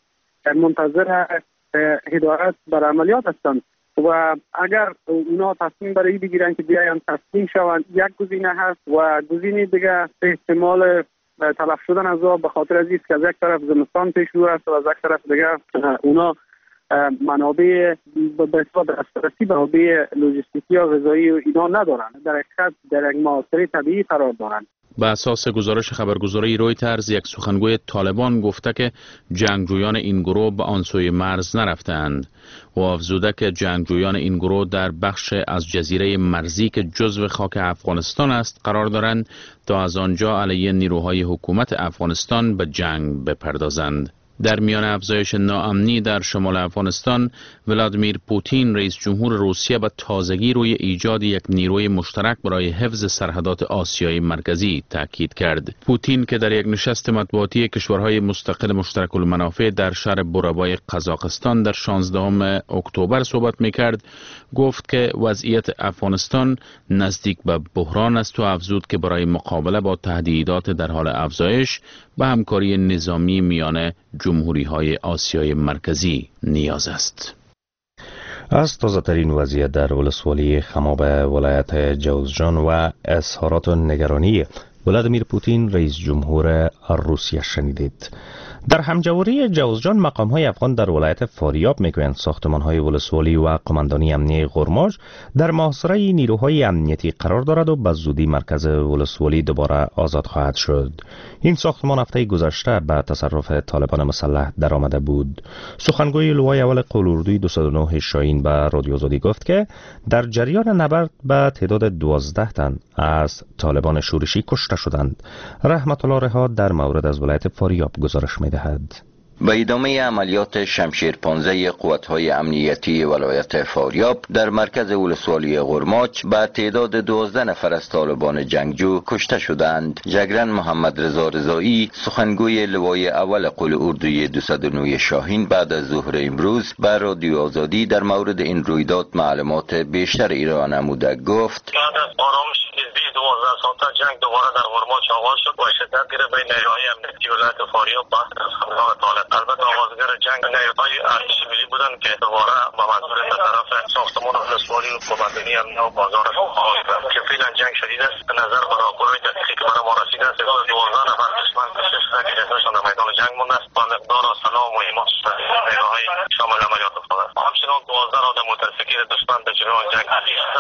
منتظر هدایت بر عملیات هستند و اگر اونا تصمیم برای بگیرن که بیاین تسلیم شوند یک گزینه هست و گزینه دیگه احتمال تلف شدن از آب به خاطر از که از یک طرف زمستان پیش رو است و از یک طرف دیگه اونا منابع به اصطلاح دسترسی به منابع لوجستیکی یا غذایی و اینا ندارن، در حقیقت در یک محاصره طبیعی قرار دارند. به اساس گزارش خبرگزاری رویترز یک سخنگوی طالبان گفته که جنگجویان این گروه به آن سوی مرز نرفتند و افزوده که جنگجویان این گروه در بخش از جزیره مرزی که جزو خاک افغانستان است قرار دارند تا از آنجا علیه نیروهای حکومت افغانستان به جنگ بپردازند. در میان افزایش ناامنی در شمال افغانستان، ولادیمیر پوتین رئیس جمهور روسیه به تازگی روی ایجاد یک نیروی مشترک برای حفظ سرحدات آسیای مرکزی تاکید کرد. پوتین که در یک نشست مطبوعاتی کشورهای مستقل مشترک المنافع در شهر بورابای قزاقستان در 16 اکتبر صحبت میکرد، گفت که وضعیت افغانستان نزدیک به بحران است و افزود که برای مقابله با تهدیدات در حال افزایش به همکاری نظامی میان جمهوری‌های آسیای مرکزی نیاز است. از تازه‌ترین وضعیت در ولسوالی خماب ولایت جوزجان و اظهارات نگرانی ولادیمیر پوتین رئیس جمهور روسیه شنیدید. در همجواری جوزجان مقام‌های افغان در ولایت فاریاب میگویند ساختمان‌های ولسوالی و قماندانی امنیه غرماج در محاصره نیروهای امنیتی قرار دارد و به زودی مرکز ولسوالی دوباره آزاد خواهد شد. این ساختمان هفته گذشته به تصرف طالبان مسلح درآمده بود. سخنگوی لوای اول قول اردوی 209 شاهین به رادیو آزادی گفت که در جریان نبرد به تعداد 12 تن از طالبان شورشی کشته شدند. رحمت الله رها در مورد از ولایت فاریاب گزارش می‌دهد. به ادامه عملیات شمشیر 15 قوت‌های امنیتی ولایت فاریاب در مرکز ولسوالی غرماچ به تعداد 12 نفر از طالبان جنگجو کشته شدند. جگرن محمد رضا رضایی، سخنگوی لوای اول قول اردوی 209 شاهین، بعد از ظهر امروز به رادیو آزادی در مورد این رویداد معلومات بیشتر ارائه نموده گفت: بعد از آرامش نزدیک 12 ساعته جنگ دوباره در غرماچ آغاز شد و شدت گرفت بین نیروهای امنیتی ولایت فاریاب و حملات طالب. البته آغازگر جنگ نیروهای ارتش ملی بودند که دوباره به منظور طرف ساختمان ولسوالی و قماندانی امنیه و بازار آغاز کرد که فعلا جنگ شدید است. به نظر به راپورهای دقیقی که برای ما رسیده است، 12 نفر دشمن کشته شده که جسدشان در میدان جنگ مانده است و مقدار سلاح و مهمات نیروهای شامل عملیات افتاده است. همچنان 12 آدم موتورسیکلت دشمن در جریان جنگ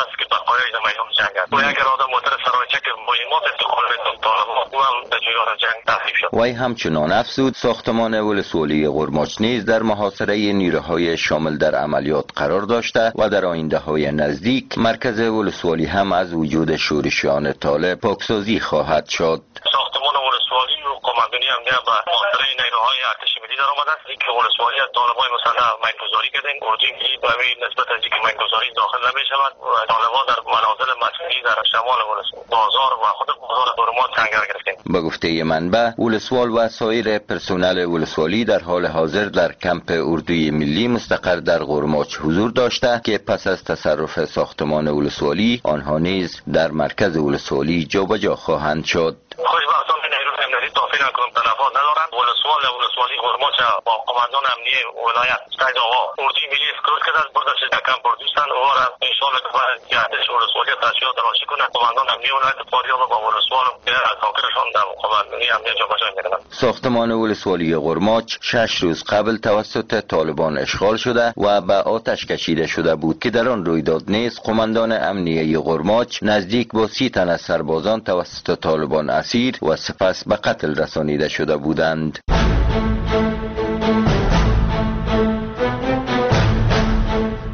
است که بقایای در میدان جنگ است و یک آدم موتور سرایچه که مهمات انتقال میداد طالبان او هم در جریان جنگ تخریب شد. وی همچنان افزود ساختمان ولسوالی غرماچ نیز در محاصره نیروهای شامل در عملیات قرار داشته و در آینده های نزدیک مرکز ولسوالی هم از وجود شورشیان طالب پاکسازی خواهد شد. ساختمان ولسوالی و قماندانی امنیه به محاصره نیروهای ارتش ملی در آمده است که ولسوالی از طالبان مسلح مینگذاری کردند. اردوی ملی به همین نسبت از اینکه مینگذاری داخل نمی شود و طالبان در منازل مسکونی در شمال ولسوالی بازار و خود بازار غرماچ سنگر گرفتند. به گفته منبع، ولسوال و سایر پرسنل ولسوالی در حال حاضر در کمپ اردوی ملی مستقر در غرماچ حضور داشته که پس از تصرف ساختمان ولسوالی آنها نیز در مرکز ولسوالی جابجا خواهند شد. خوشبختانه نیروی امنیتی تا فعلا کدام تلفات ندارند. ولسوال ولسوالی غرماچ با قماندان امنیه ولایت سید آقا اردوی ملی اسکرت کرده است، بردش در کمپ اردوستان او را انشاءالله که باید ارتش ولسوالی تشکیلات تراشی کنه. قماندان امنیه ولایت فاریاب با ولسوال از آخرشان در قماندانی امنیه جابجا می‌کنند. ساختمان ولسوالی غرماچ 6 روز قبل توسط طالبان اشغال شده و به آتش کشیده شده بود که در آن رویداد نیز قماندان امنیه غرماچ نزدیک با 30 تن از سربازان توسط طالبان اسیر و سپس به قتل رسانیده شده بودند.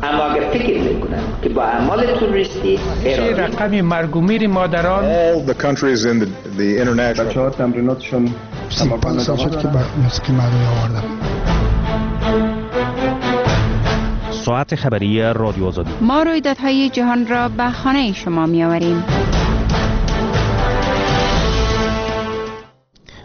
اما اگر فکر میکنند که با اعمال تروریستی رقم مرگ و میر مادران بچه‌ها تمریناتشون 35 سال شد که به موسیقی مردمی آوردم. ساعت خبری رادیو آزادی. ما رویدادهای جهان را به خانه شما می‌آوریم.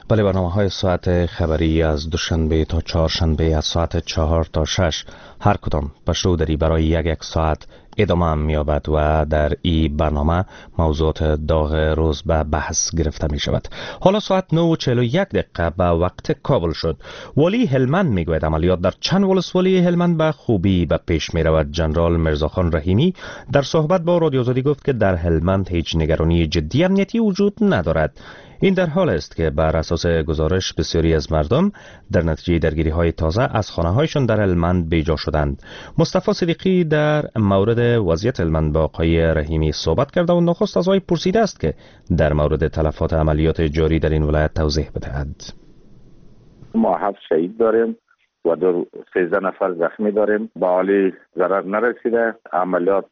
بله، برنامه های ساعت خبری از دوشنبه تا چهارشنبه از ساعت 4 تا 6 هر کدام پشتو دری برای یک ساعت ادامه می‌یابد و در این برنامه موضوعات داغ روز به بحث گرفته می شود. حالا ساعت 9:41 به وقت کابل شد. والی هلمند میگوید عملیات در چند ولسوالی هلمند به خوبی به پیش می رود. جنرال میرزاخان رحیمی در صحبت با رادیو آزادی گفت که در هلمند هیچ نگرانی جدی امنیتی وجود ندارد. این در حال است که بر اساس گزارش بسیاری از مردم در نتیجه درگیری های تازه از خانه هایشان در هلمند بیجا شدند. مصطفی صدیقی در مورد وضعیت هلمند با آقای رحیمی صحبت کرده و نخست از آقای پرسیده است که در مورد تلفات عملیات جاری در این ولایت توضیح بدهد. ما 7 شهید داریم و 13 نفر زخمی داریم. به حالی ضرر نرسیده. عملیات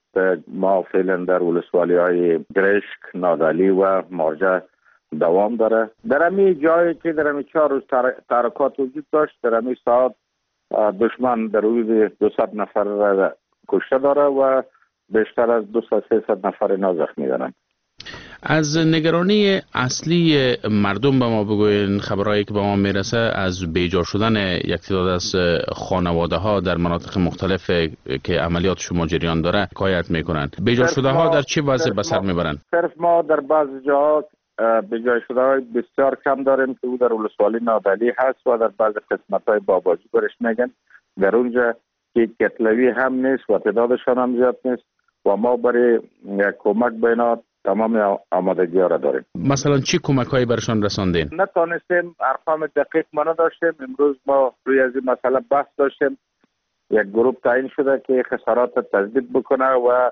ما فعلا در ولسوالی های گرشک، نادعلی و مارجه دوام داره. در همین جایی که در همین 4 روز تحرکات وجود داشت، در همین ساعت دشمن در حدود 200 نفر کشته داره و بیشتر از 200-300 نفر اینا زخمی دارن. از نگرانی اصلی مردم به ما بگوین، خبرهایی که به ما میرسه از بیجا شدن یک تعداد از خانواده ها در مناطق مختلف که عملیات شما جریان داره حکایت میکنن. بیجا شده ها در چه وضع به سر میبرن؟ صرف ما در بعض جاها بیجا شده های بسیار کم داریم که او در ولسوالی نادعلی هست و در بعض قسمت های باباجی برش میگن. در اونجا که کتلوی هم نیست و تعدادشان هم زیاد نیست و ما برای کمک به اینا تمام آمادگی ها را داریم. مثلا چی کمک هایی برشان رساندین؟ نتانستیم، ارقام دقیق ما نداشتیم. امروز ما روی از این مسئله بحث داشتیم. یک گروه تعیین شده که خسارات تثبیت بکنه و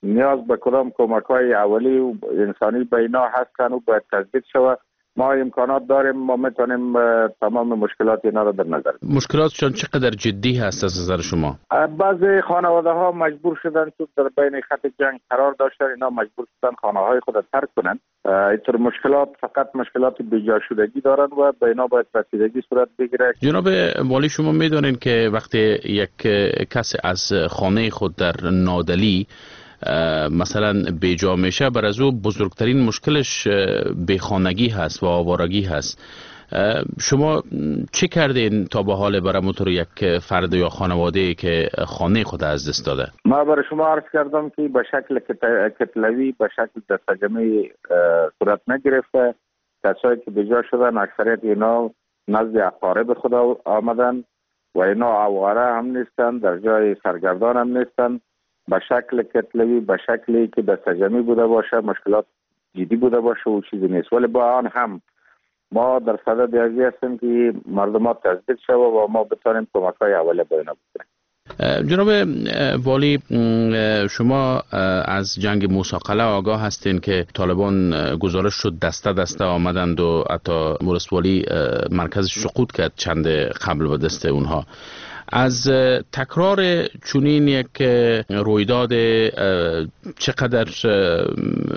نیاز به کدام کمک های اولی و انسانی به اینا هستن و باید تثبیت شود. ما امکانات داریم، ما میتونیم تمام مشکلات اینا را در نظر. مشکلاتشان چقدر جدی هست از نظر شما؟ بعضی خانواده ها مجبور شدن چون در بین خط جنگ قرار داشتن، اینا مجبور شدن خانه های خود را ترک کنن. اینطور مشکلات فقط مشکلات بیجا شدگی دارن و به اینا باید رسیدگی صورت بگیره. جناب والی، شما میدونین که وقتی یک کس از خانه خود در نادلی مثلا بیجا میشه، بر از او بزرگترین مشکلش بیخانگی هست و آوارگی هست. شما چه کردین تا به حال برای موتور یک فرد یا خانواده که خانه خود از دست داده؟ ما برای شما عرض کردم که به شکل کتلوی، به شکل دستجمعی صورت نگرفته. کسایی که بیجا شدن اکثریت اینا نزد اقارب خود آمدن و اینا آواره هم نیستن، در جای سرگردان هم نیستن. به شکل کتلوی، به شکلی که دستجمعی بوده باشه، مشکلات جدی بوده باشه و چیزی نیست. ولی با آن هم ما در صدد ازی هستیم که مردمات تثبیت شوه و ما بتانیم کمک های اولیه با اینا بکنیم. جناب والی، شما از جنگ موسی قلعه آگاه هستین که طالبان گزارش شد دسته دسته آمدند و حتی ولسوالی مرکز سقوط کرد چند قبل به دست اونها. از تکرار چنین یک رویداد چقدر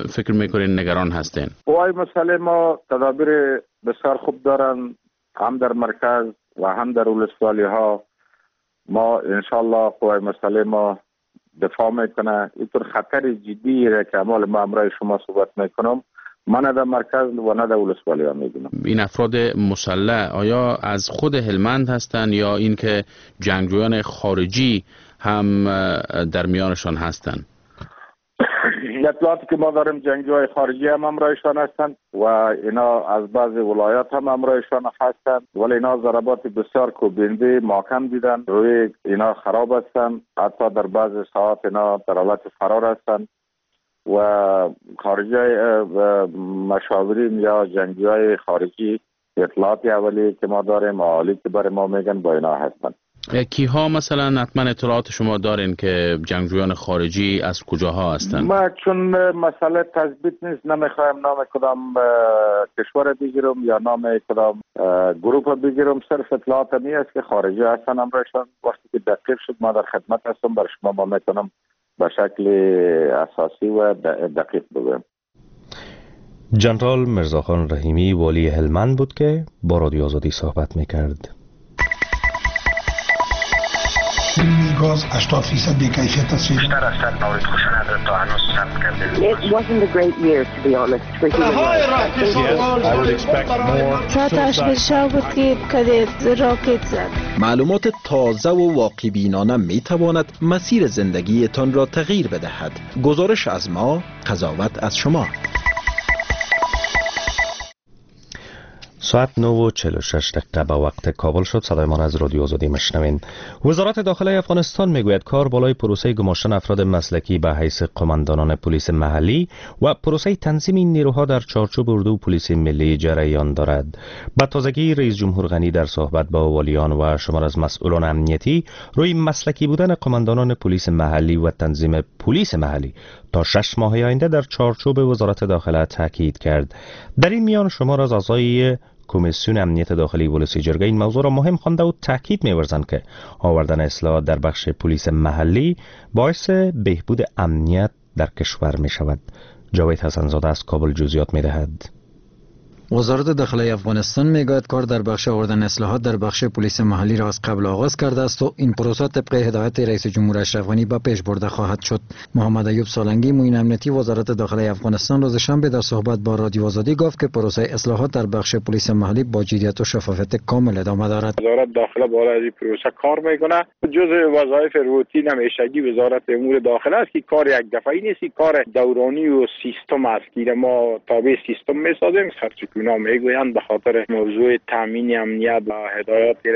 فکر میکنین نگران هستین؟ قوای مسلح ما تدابیر بسیار خوب دارن، هم در مرکز و هم در ولسوالی ها. ما انشالله قوای مسلح ما دفاع میکنه. اینطور خطر جدی را که اعمال ما امرای شما صحبت میکنم، من نه در مرکز و نه در ولسوالی ها میبینم. این افراد مسلح آیا از خود هلمند هستند یا اینکه جنگجویان خارجی هم در میانشان هستند؟ اطلاعاتی که ما داریم جنگجوهای خارجی هم همراهشان هستند و اینا از بعض ولایات هم همراهشان هستند، ولی اینا ضربات بسیار کوبنده محکم دیدن، روی اینا خراب هستند، حتی در بعض ساعات اینا در حالت فرار هستند و خارجی مشاورین یا جنگجوهای خارجی اطلاعات اولی که ما داریم، عالی که برای ما میگن با اینا هستند. کیها مثلا حتما اطلاعات شما دارین که جنگجویان خارجی از کجاها هستند؟ ما چون مسئله تثبیت نیست، نمیخوایم نام کدام کشور بگیرم یا نام کدام گروه بگیرم. صرف اطلاعات می است که خارجی هستن امرشان. وقتی که دقیق شد ما در خدمت هستم، بر شما ما میتونم به شکل اساسی و دقیق بگویم. جنرال میرزاخان رحیمی والی هلمند بود که با رادیو آزادی صحبت میکرد. گاز 80% بی‌کیفیت است. بیشتر از 100 مورد خشونت را تا هنوز ثبت کرده. It wasn't a great year to be honest for human rights. بود که راکت زد. معلومات تازه و واقع بینانه می تواند مسیر زندگیتان را تغییر بدهد. گزارش از ما، قضاوت از شما. ساعت 9:46 به وقت کابل شد. صدای ما از رادیو آزادی مشنوین. وزارت داخله افغانستان میگوید کار بالای پروسه گماشتن افراد مسلکی به حیث قماندانان پلیس محلی و پروسه تنظیم این نیروها در چارچوب اردو پلیس ملی جریان دارد. به تازگی رئیس جمهور غنی در صحبت با والیان و شمار از مسئولان امنیتی روی مسلکی بودن قماندانان پلیس محلی و تنظیم پلیس محلی تا 6 ماه آینده در چارچوب وزارت داخله تاکید کرد. در این میان شمار از اعضای کمیسیون امنیت داخلی ولسی جرگه این موضوع را مهم خوانده و تاکید می‌ورزند که آوردن اصلاحات در بخش پلیس محلی باعث بهبود امنیت در کشور می شود. جاوید حسن‌زاده از کابل جزئیات می‌دهد. وزارت داخله افغانستان میگوید کار در بخش آوردن اصلاحات در بخش پلیس محلی را از قبل آغاز کرده است و این پروسه طبق هدایت رئیس جمهور اشرف غنی به پیش برده خواهد شد. محمد ایوب سالنگی معین امنیتی وزارت داخله افغانستان روز شنبه در صحبت با رادیو آزادی گفت که پروسه اصلاحات در بخش پلیس محلی با جدیت و شفافیت کامل ادامه دارد. وزارت داخله بالای این پروسه کار میکنه. جزء وظایف روتین همیشگی وزارت امور داخله است که کار یک دفعه‌ای نیست، کار دورانی و سیستم است که ما تابع سیستم میسازیم. اونا میگویند به خاطر موضوع تامین امنیت و هدایات که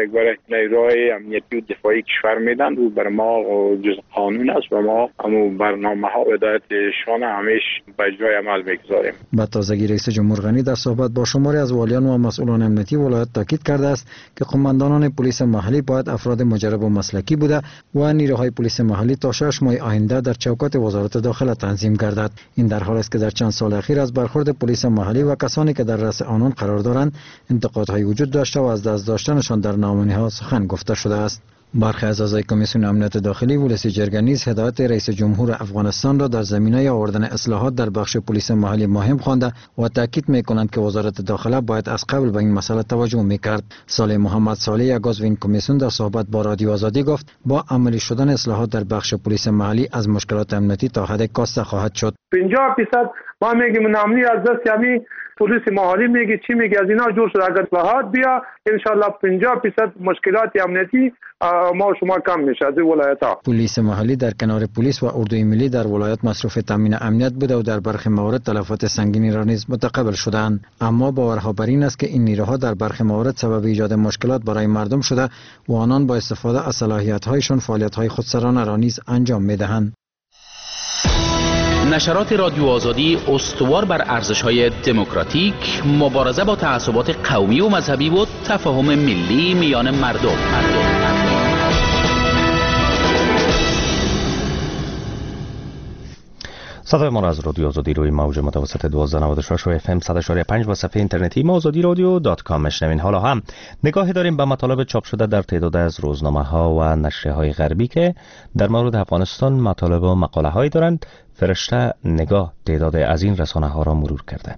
نیروهای امنیتی و دفاعی کشور میدن و بر ما جز قانون است و ما همون برنامه ها و هدایتشان همیش به جای عمل میگذاریم. به تازگی رئیس جمهور غنی در صحبت با شماری از والیان و مسئولان امنیتی ولایت تاکید کرده است که قماندانان پلیس محلی باید افراد مجرب و مسلکی بوده و نیروهای پلیس محلی تا 6 ماه آینده در چوکات وزارت داخله تنظیم گردد. این در حال است که در چند سال اخیر از برخورد پلیس محلی و کسانی که در رأس آنان قرار دارند انتقادهای وجود داشته و از دست داشتنشان در ناامنی‌ها سخن گفته شده است. برخی از اعضای کمیسیون امنیت داخلی ولسی جرگه نیز هدایت رئیس جمهور افغانستان را در زمینه آوردن اصلاحات در بخش پلیس محلی مهم خوانده و تاکید میکنند که وزارت داخله باید از قبل به این مسئله توجه میکرد. صالح محمد صالح، یک عضو این کمیسیون، در صحبت با رادیو آزادی گفت با عملی شدن اصلاحات در بخش پلیس محلی از مشکلات امنیتی تا حد کاسته خواهد شد. 50% ما میگیم ناامنی از دست یعنی پلیس محلی میگه چی میگه از اینا جور شد. اگر اصلاحات بیا ان شاء الله 50% مشکلات امنیتی ما و شما کم میشه از ولایت ها. پلیس محلی در کنار پلیس و اردوی ملی در ولایت مصروف تامین امنیت بوده و در برخی موارد تلفات سنگینی را نیز متقبل شدند. اما باورها بر این است که این نیروها در برخی موارد سبب ایجاد مشکلات برای مردم شده و آنان با استفاده از صلاحیت‌هایشان فعالیت‌های خودسرانه را نیز انجام می‌دهند. نشرات رادیو آزادی استوار بر ارزش‌های دموکراتیک، مبارزه با تعصبات قومی و مذهبی و تفاهم ملی میان مردم. صدای ما را از رادیو آزادی روی موج متوسط 1296 و اف ام 100.5 و صفحه اینترنتی ما آزادی رادیو .com میشنوین. حالا هم نگاهی داریم به مطالب چاپ شده در تعداد از روزنامه ها و نشریه های غربی که در مورد افغانستان مطالب و مقاله هایی دارند. فرشته نگاه تعداد از این رسانه ها را مرور کرده.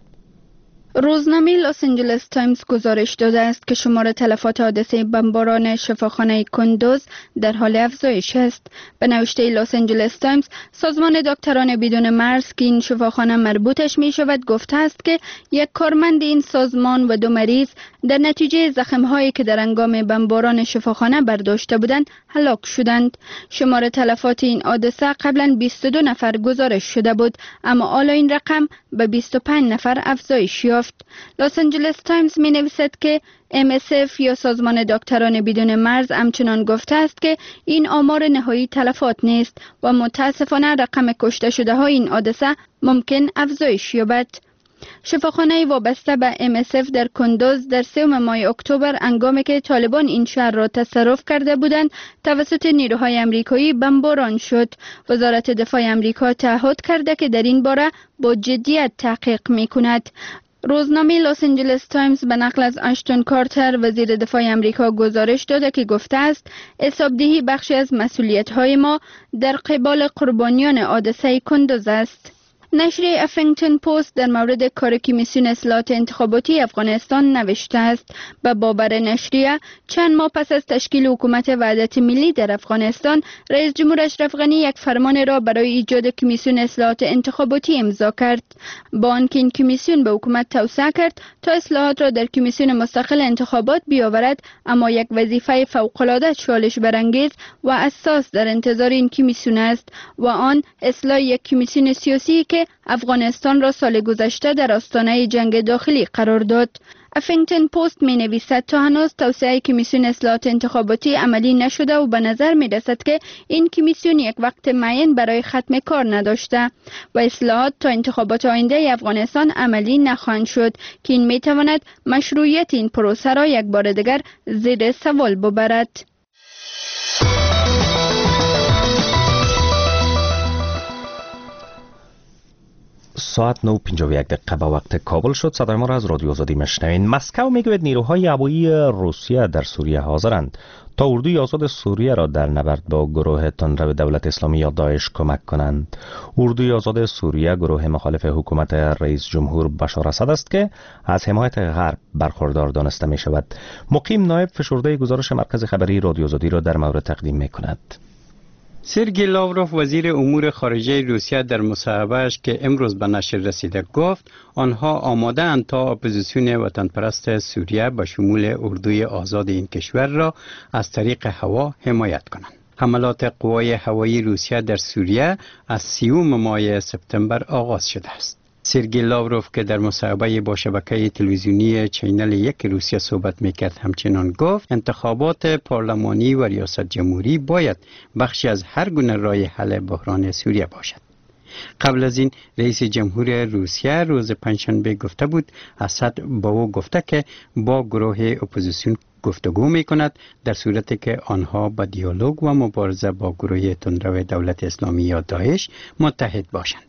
روزنامه لس آنجلس تایمز گزارش داده است که شمار تلفات حادثه بمباران شفاخانه کندوز در حال افزایش است. به نوشته لس آنجلس تایمز، سازمان دکتران بدون مرز که این شفاخانه مربوطش می شود گفته است که یک کارمند این سازمان و 2 مریض در نتیجه زخم هایی که در هنگام بمباران شفاخانه برداشته بودند هلاک شدند. شمار تلفات این حادثه قبلا 22 نفر گزارش شده بود، اما حالا این رقم به 25 نفر افزایش یافت. لس آنجلس تایمز می نویسد که MSF یا سازمان دکتران بدون مرز همچنان گفته است که این آمار نهایی تلفات نیست و متاسفانه رقم کشته شده های این حادثه ممکن افزایش یابد. شفاخانه وابسته به MSF در کندوز در 3 ماه اکتبر هنگامی که طالبان این شهر را تصرف کرده بودند توسط نیروهای امریکایی بمباران شد. وزارت دفاع امریکا تعهد کرده که در این باره با جدیت تحقیق می کند. روزنامه لس آنجلس تایمز به نقل از اشتون کارتر وزیر دفاع امریکا گزارش داده که گفته است حسابدهی بخشی از مسئولیت‌های ما در قبال قربانیان حادثه کندوز است. نشریه افنگتون پست در مورد کار کمیسیون اصلاحات انتخاباتی افغانستان نوشته است. به باور نشریه چند ماه پس از تشکیل حکومت وحدت ملی در افغانستان، رئیس جمهور اشرف غنی یک فرمان را برای ایجاد کمیسیون اصلاحات انتخاباتی امضا کرد. با آنکه این کمیسیون به حکومت توسعه کرد تا اصلاحات را در کمیسیون مستقل انتخابات بیاورد، اما یک وظیفه فوق‌العاده چالش برانگیز و اساس در انتظار این کمیسیون است و آن اصلاح یک کمیسیون سیاسی که افغانستان را سال گذشته در آستانه جنگ داخلی قرار داد. افنگتون پست می نویسد تا هنوز توسعه کمیسیون اصلاحات انتخاباتی عملی نشده و به نظر می رسد که این کمیسیون یک وقت معین برای ختم کار نداشته و اصلاحات تا انتخابات آینده افغانستان عملی نخواهند شد که این می تواند مشروعیت این پروسه را یک بار دیگر زیر سوال ببرد. ساعت 9:51 به وقت کابل شد. صدای ما را از رادیو آزادی میشنوین. مسکو میگوید نیروهای هوایی روسیه در سوریه حاضرند تا اردوی آزاد سوریه را در نبرد با گروه تندرو دولت اسلامی یا داعش کمک کنند. اردوی آزاد سوریه گروه مخالف حکومت رئیس جمهور بشار اسد است که از حمایت غرب برخوردار دانسته می شود. مقیم نایب فشرده گزارش مرکز خبری رادیو آزادی را در مورد تقدیم می کند. سرگی لاوروف وزیر امور خارجه روسیه در مصاحبه‌اش که امروز به نشر رسیده گفت آنها آماده اند تا اپوزیسیون وطن پرست سوریه به شمول اردوی آزاد این کشور را از طریق هوا حمایت کنند. حملات قوای هوایی روسیه در سوریه از 30 ماه سپتامبر آغاز شده است. سرگی لاوروف که در مصاحبه با شبکه تلویزیونی چینل 1 روسیه صحبت میکرد همچنان گفت انتخابات پارلمانی و ریاست جمهوری باید بخشی از هر گونه راه حل بحران سوریه باشد. قبل از این رئیس جمهور روسیه روز پنجشنبه گفته بود اسد با او گفته که با گروه اپوزیسیون گفتگو می کند در صورتی که آنها با دیالوگ و مبارزه با گروه تندرو دولت اسلامی یا داعش متحد باشند.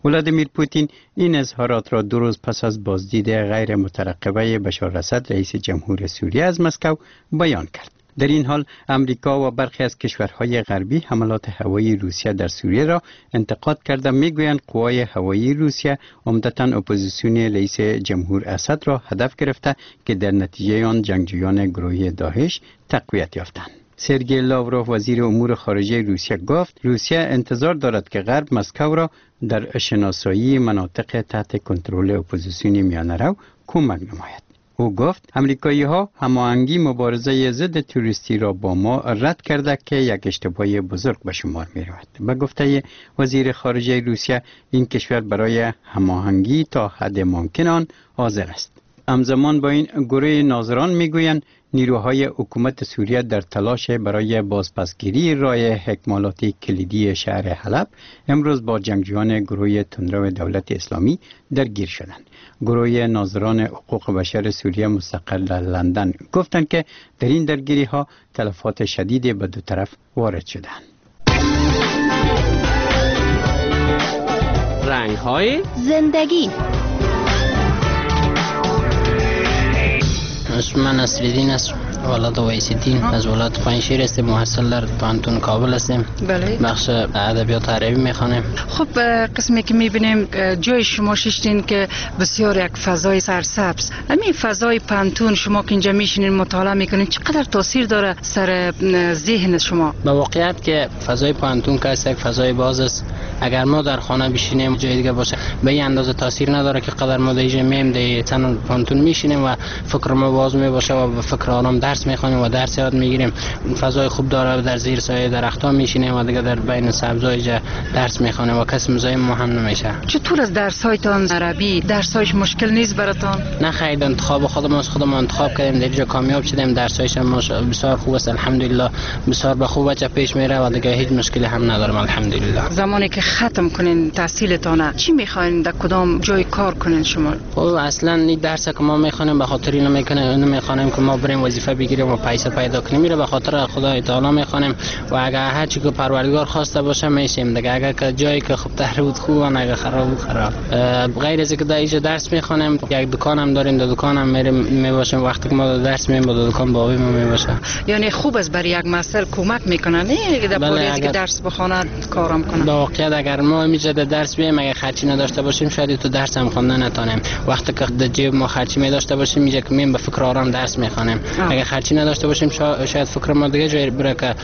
ولادیمیر پوتین این اظهارات را 2 روز پس از بازدید غیر مترقبه بشار اسد رئیس جمهور سوریه از مسکو بیان کرد. در این حال امریکا و برخی از کشورهای غربی حملات هوایی روسیه در سوریه را انتقاد کرده میگویند قوای هوایی روسیه عمدتاً اپوزیسیون رئیس جمهور اسد را هدف گرفته که در نتیجه آن جنگجویان گروه داعش تقویت یافتند. سرگئی لاوروف وزیر امور خارجه روسیه گفت روسیه انتظار دارد که غرب مسکو را در شناسایی مناطق تحت کنترل اپوزیسیون میانه‌رو کمک نماید. او گفت امریکایی ها هماهنگی مبارزه ضد تروریستی را با ما رد کرده که یک اشتباه بزرگ به شمار می رود. به گفته وزیر خارجه روسیه این کشور برای هماهنگی تا حد ممکن آن حاضر است. همزمان با این گروه ناظران میگویند نیروهای حکومت سوریه در تلاش برای بازپسگیری راه اکمالات کلیدی شهر حلب امروز با جنگجویان گروه تندرو دولت اسلامی درگیر شدند. گروه ناظران حقوق بشر سوریه مستقر در لندن گفتند که در این درگیری ها تلفات شدید به دو طرف وارد شدند. رنگ های زندگی. اسم من نصرالدین است، ولد ویسیدین، از ولایت پنجشیر هستیم، محصل در پوهنتون کابل هستیم. بله. بخش ادبیات عربی میخوانیم. خب قسمی که میبینیم جای شما ششتین که بسیار یک فضای سرسبز، همین فضای پوهنتون شما که اینجا میشینین مطالعه میکنین چقدر تاثیر داره سر ذهن شما؟ به واقعیت که فضای پوهنتون که یک فضای باز است، اگر ما در خانه بشینیم جای دیگه باشه به این اندازه تاثیر نداره که قدر ما در اینجا میم در تن پوهنتون میشینیم و فکر ما باز میباشه و به فکر آرام درس میخوانیم و درس یاد میگیریم. فضای خوب داره، در زیر سایه درخت‌ها میشینیم و دیگه در بین سبزای درس میخوانیم و کس مزاحم ما هم نمیشه. چطور از درس‌هایتان عربی درس‌هایش مشکل نیست براتان؟ نه خیر، انتخاب خودم از خودم انتخاب کردیم، در اینجا کامیاب شدیم، درس‌هایش هم بسیار خوب است الحمدلله، بسیار به خوب بچه پیش میره و دیگه هیچ مشکلی هم ندارم الحمدلله. زمانی که ختم کنین تحصیلتان چی میخواین در کدام جای کار کنین شما؟ خب اصلا این درس که ما میخوانیم به خاطر اینو میخوانیم که ما بریم وظیفه بگیریم و پیسه پیدا کنیم، میره به خاطر خدای تعالی میخوانیم و اگر هر چی که پروردگار خواسته باشه میشیم دیگه. اگر که جایی که خوب تر بود خوب، اگر خراب بود خراب. غیر از اینکه در اینجا درس میخوانیم یک دکان هم داریم، در دکان هم میریم میباشیم، وقتی که ما درس می‌خوانیم با دکان بابی ما میباشه. یعنی خوب است برای یک مسئله کمک میکنه نه در پولیس که درس بخونه کارم کنه. به واقعیت اگر ما اینجا درس بیم اگر خرچی نداشته باشیم شاید تو درس هم خواندن نتونیم. وقتی که در جیب ما خرچی می داشته باشیم اینجا که میم به فکر آرام درس میخوانیم. اگر خرچی نداشته باشیم شاید فکر ما دیگه جای بره که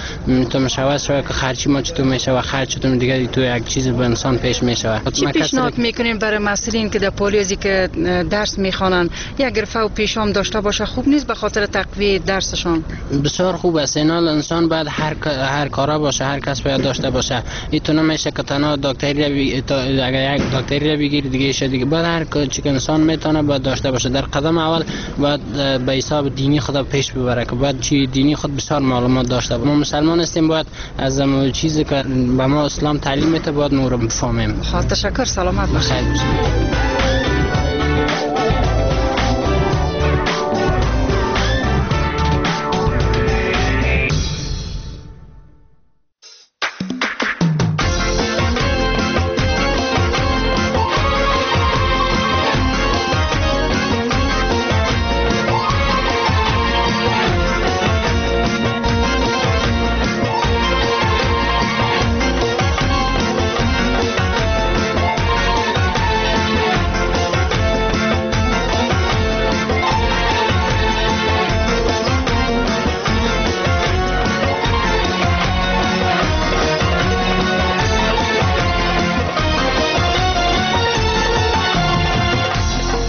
تو مشاوره شوه که خرچی ما چطور میشه و خرچ چطور دیگه تو یک چیز به انسان پیش میشه. چی پیشنهاد میکنیم برای مسئولین که در پولیسی که درس میخوانن یک گرفه و پیشام داشته باشه خوب نیست به خاطر تقویت درسشان؟ بسیار خوب است. اینا انسان باید هر کارا باشه، هر کس باید داشته باشه. ایتو نمیشه که تنها دکتری اگر یک دکتری بگیری دیگه شه دیگه، باید هر چی که انسان میتونه باید داشته باشه. در قدم اول باید به حساب دینی خود پیش ببره که باید چی دینی خود بسیار معلومات داشته باشه. ما مسلمان هستیم، باید از چیزی که به ما اسلام تعلیم میده باید ما رو بفهمیم. خب تشکر، سلامت باشید.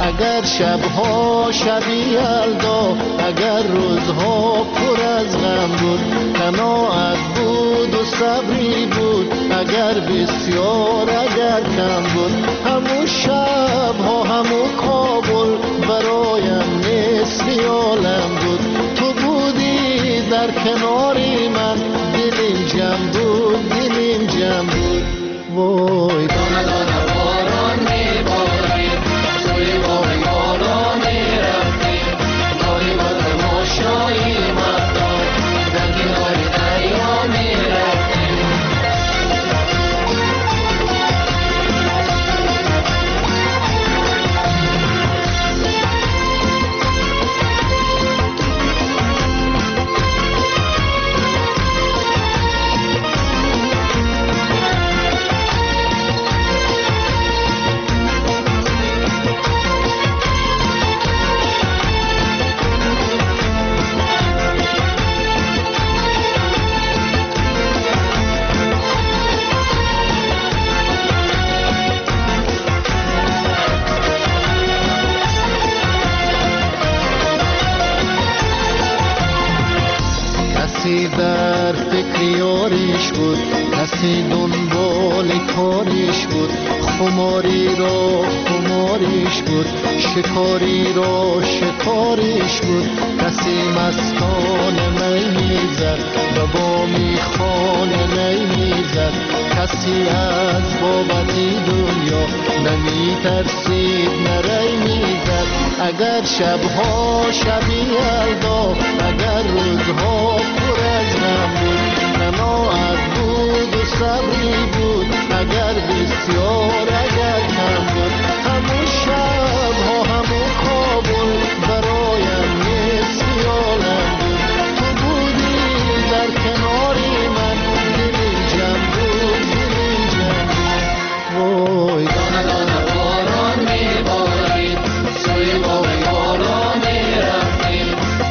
اگر شبها شبی یلدا، اگر روزها پر از غم بود، قناعت بود و صبری بود، اگر بسیار اگر کم بود، همون شبها همون کابل برایم نصف عالم بود. تو بودی در کناری من، دلیم جمع بود، دلیم جمع بود. وای دانه دانه باران میبارید، سوی باغ بالا میرفتیم، گاهی با تماشایی مهتاب در کنار دریا میرفتیم. بود، کسی دنبال کارش بود، خماری را خمارش بود، شکاری را شکارش بود، کسی مستان می میزد و با میخانه نی میزد، کسی از بابت دنیا نمی ترسید نری میزد. اگر شبها شبی یلدا، اگر روزها پر از غم بود، قناعت بود و صبری بود، اگر بسیار اگر کم بود، همون شبها همون کابل برایم نیست خیالم بود، تو بودی در کناری من، دلی جمع بود دلی جمع بود. وای دانه دانه باران میبارید، سوی باغ یاران میرفتیم،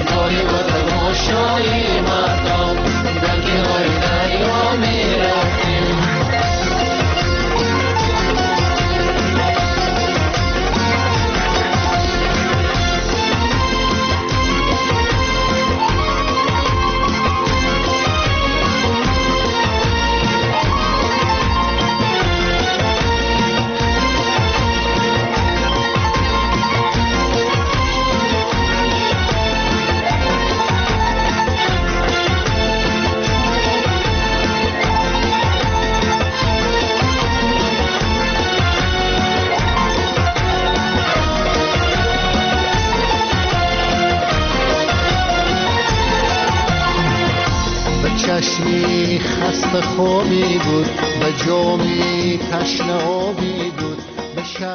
گاهی با تماشای مردم در کنار دریا میرفتیم. چشمی خسته خوابی بود، به جامی تشنه آبی بود، به شهر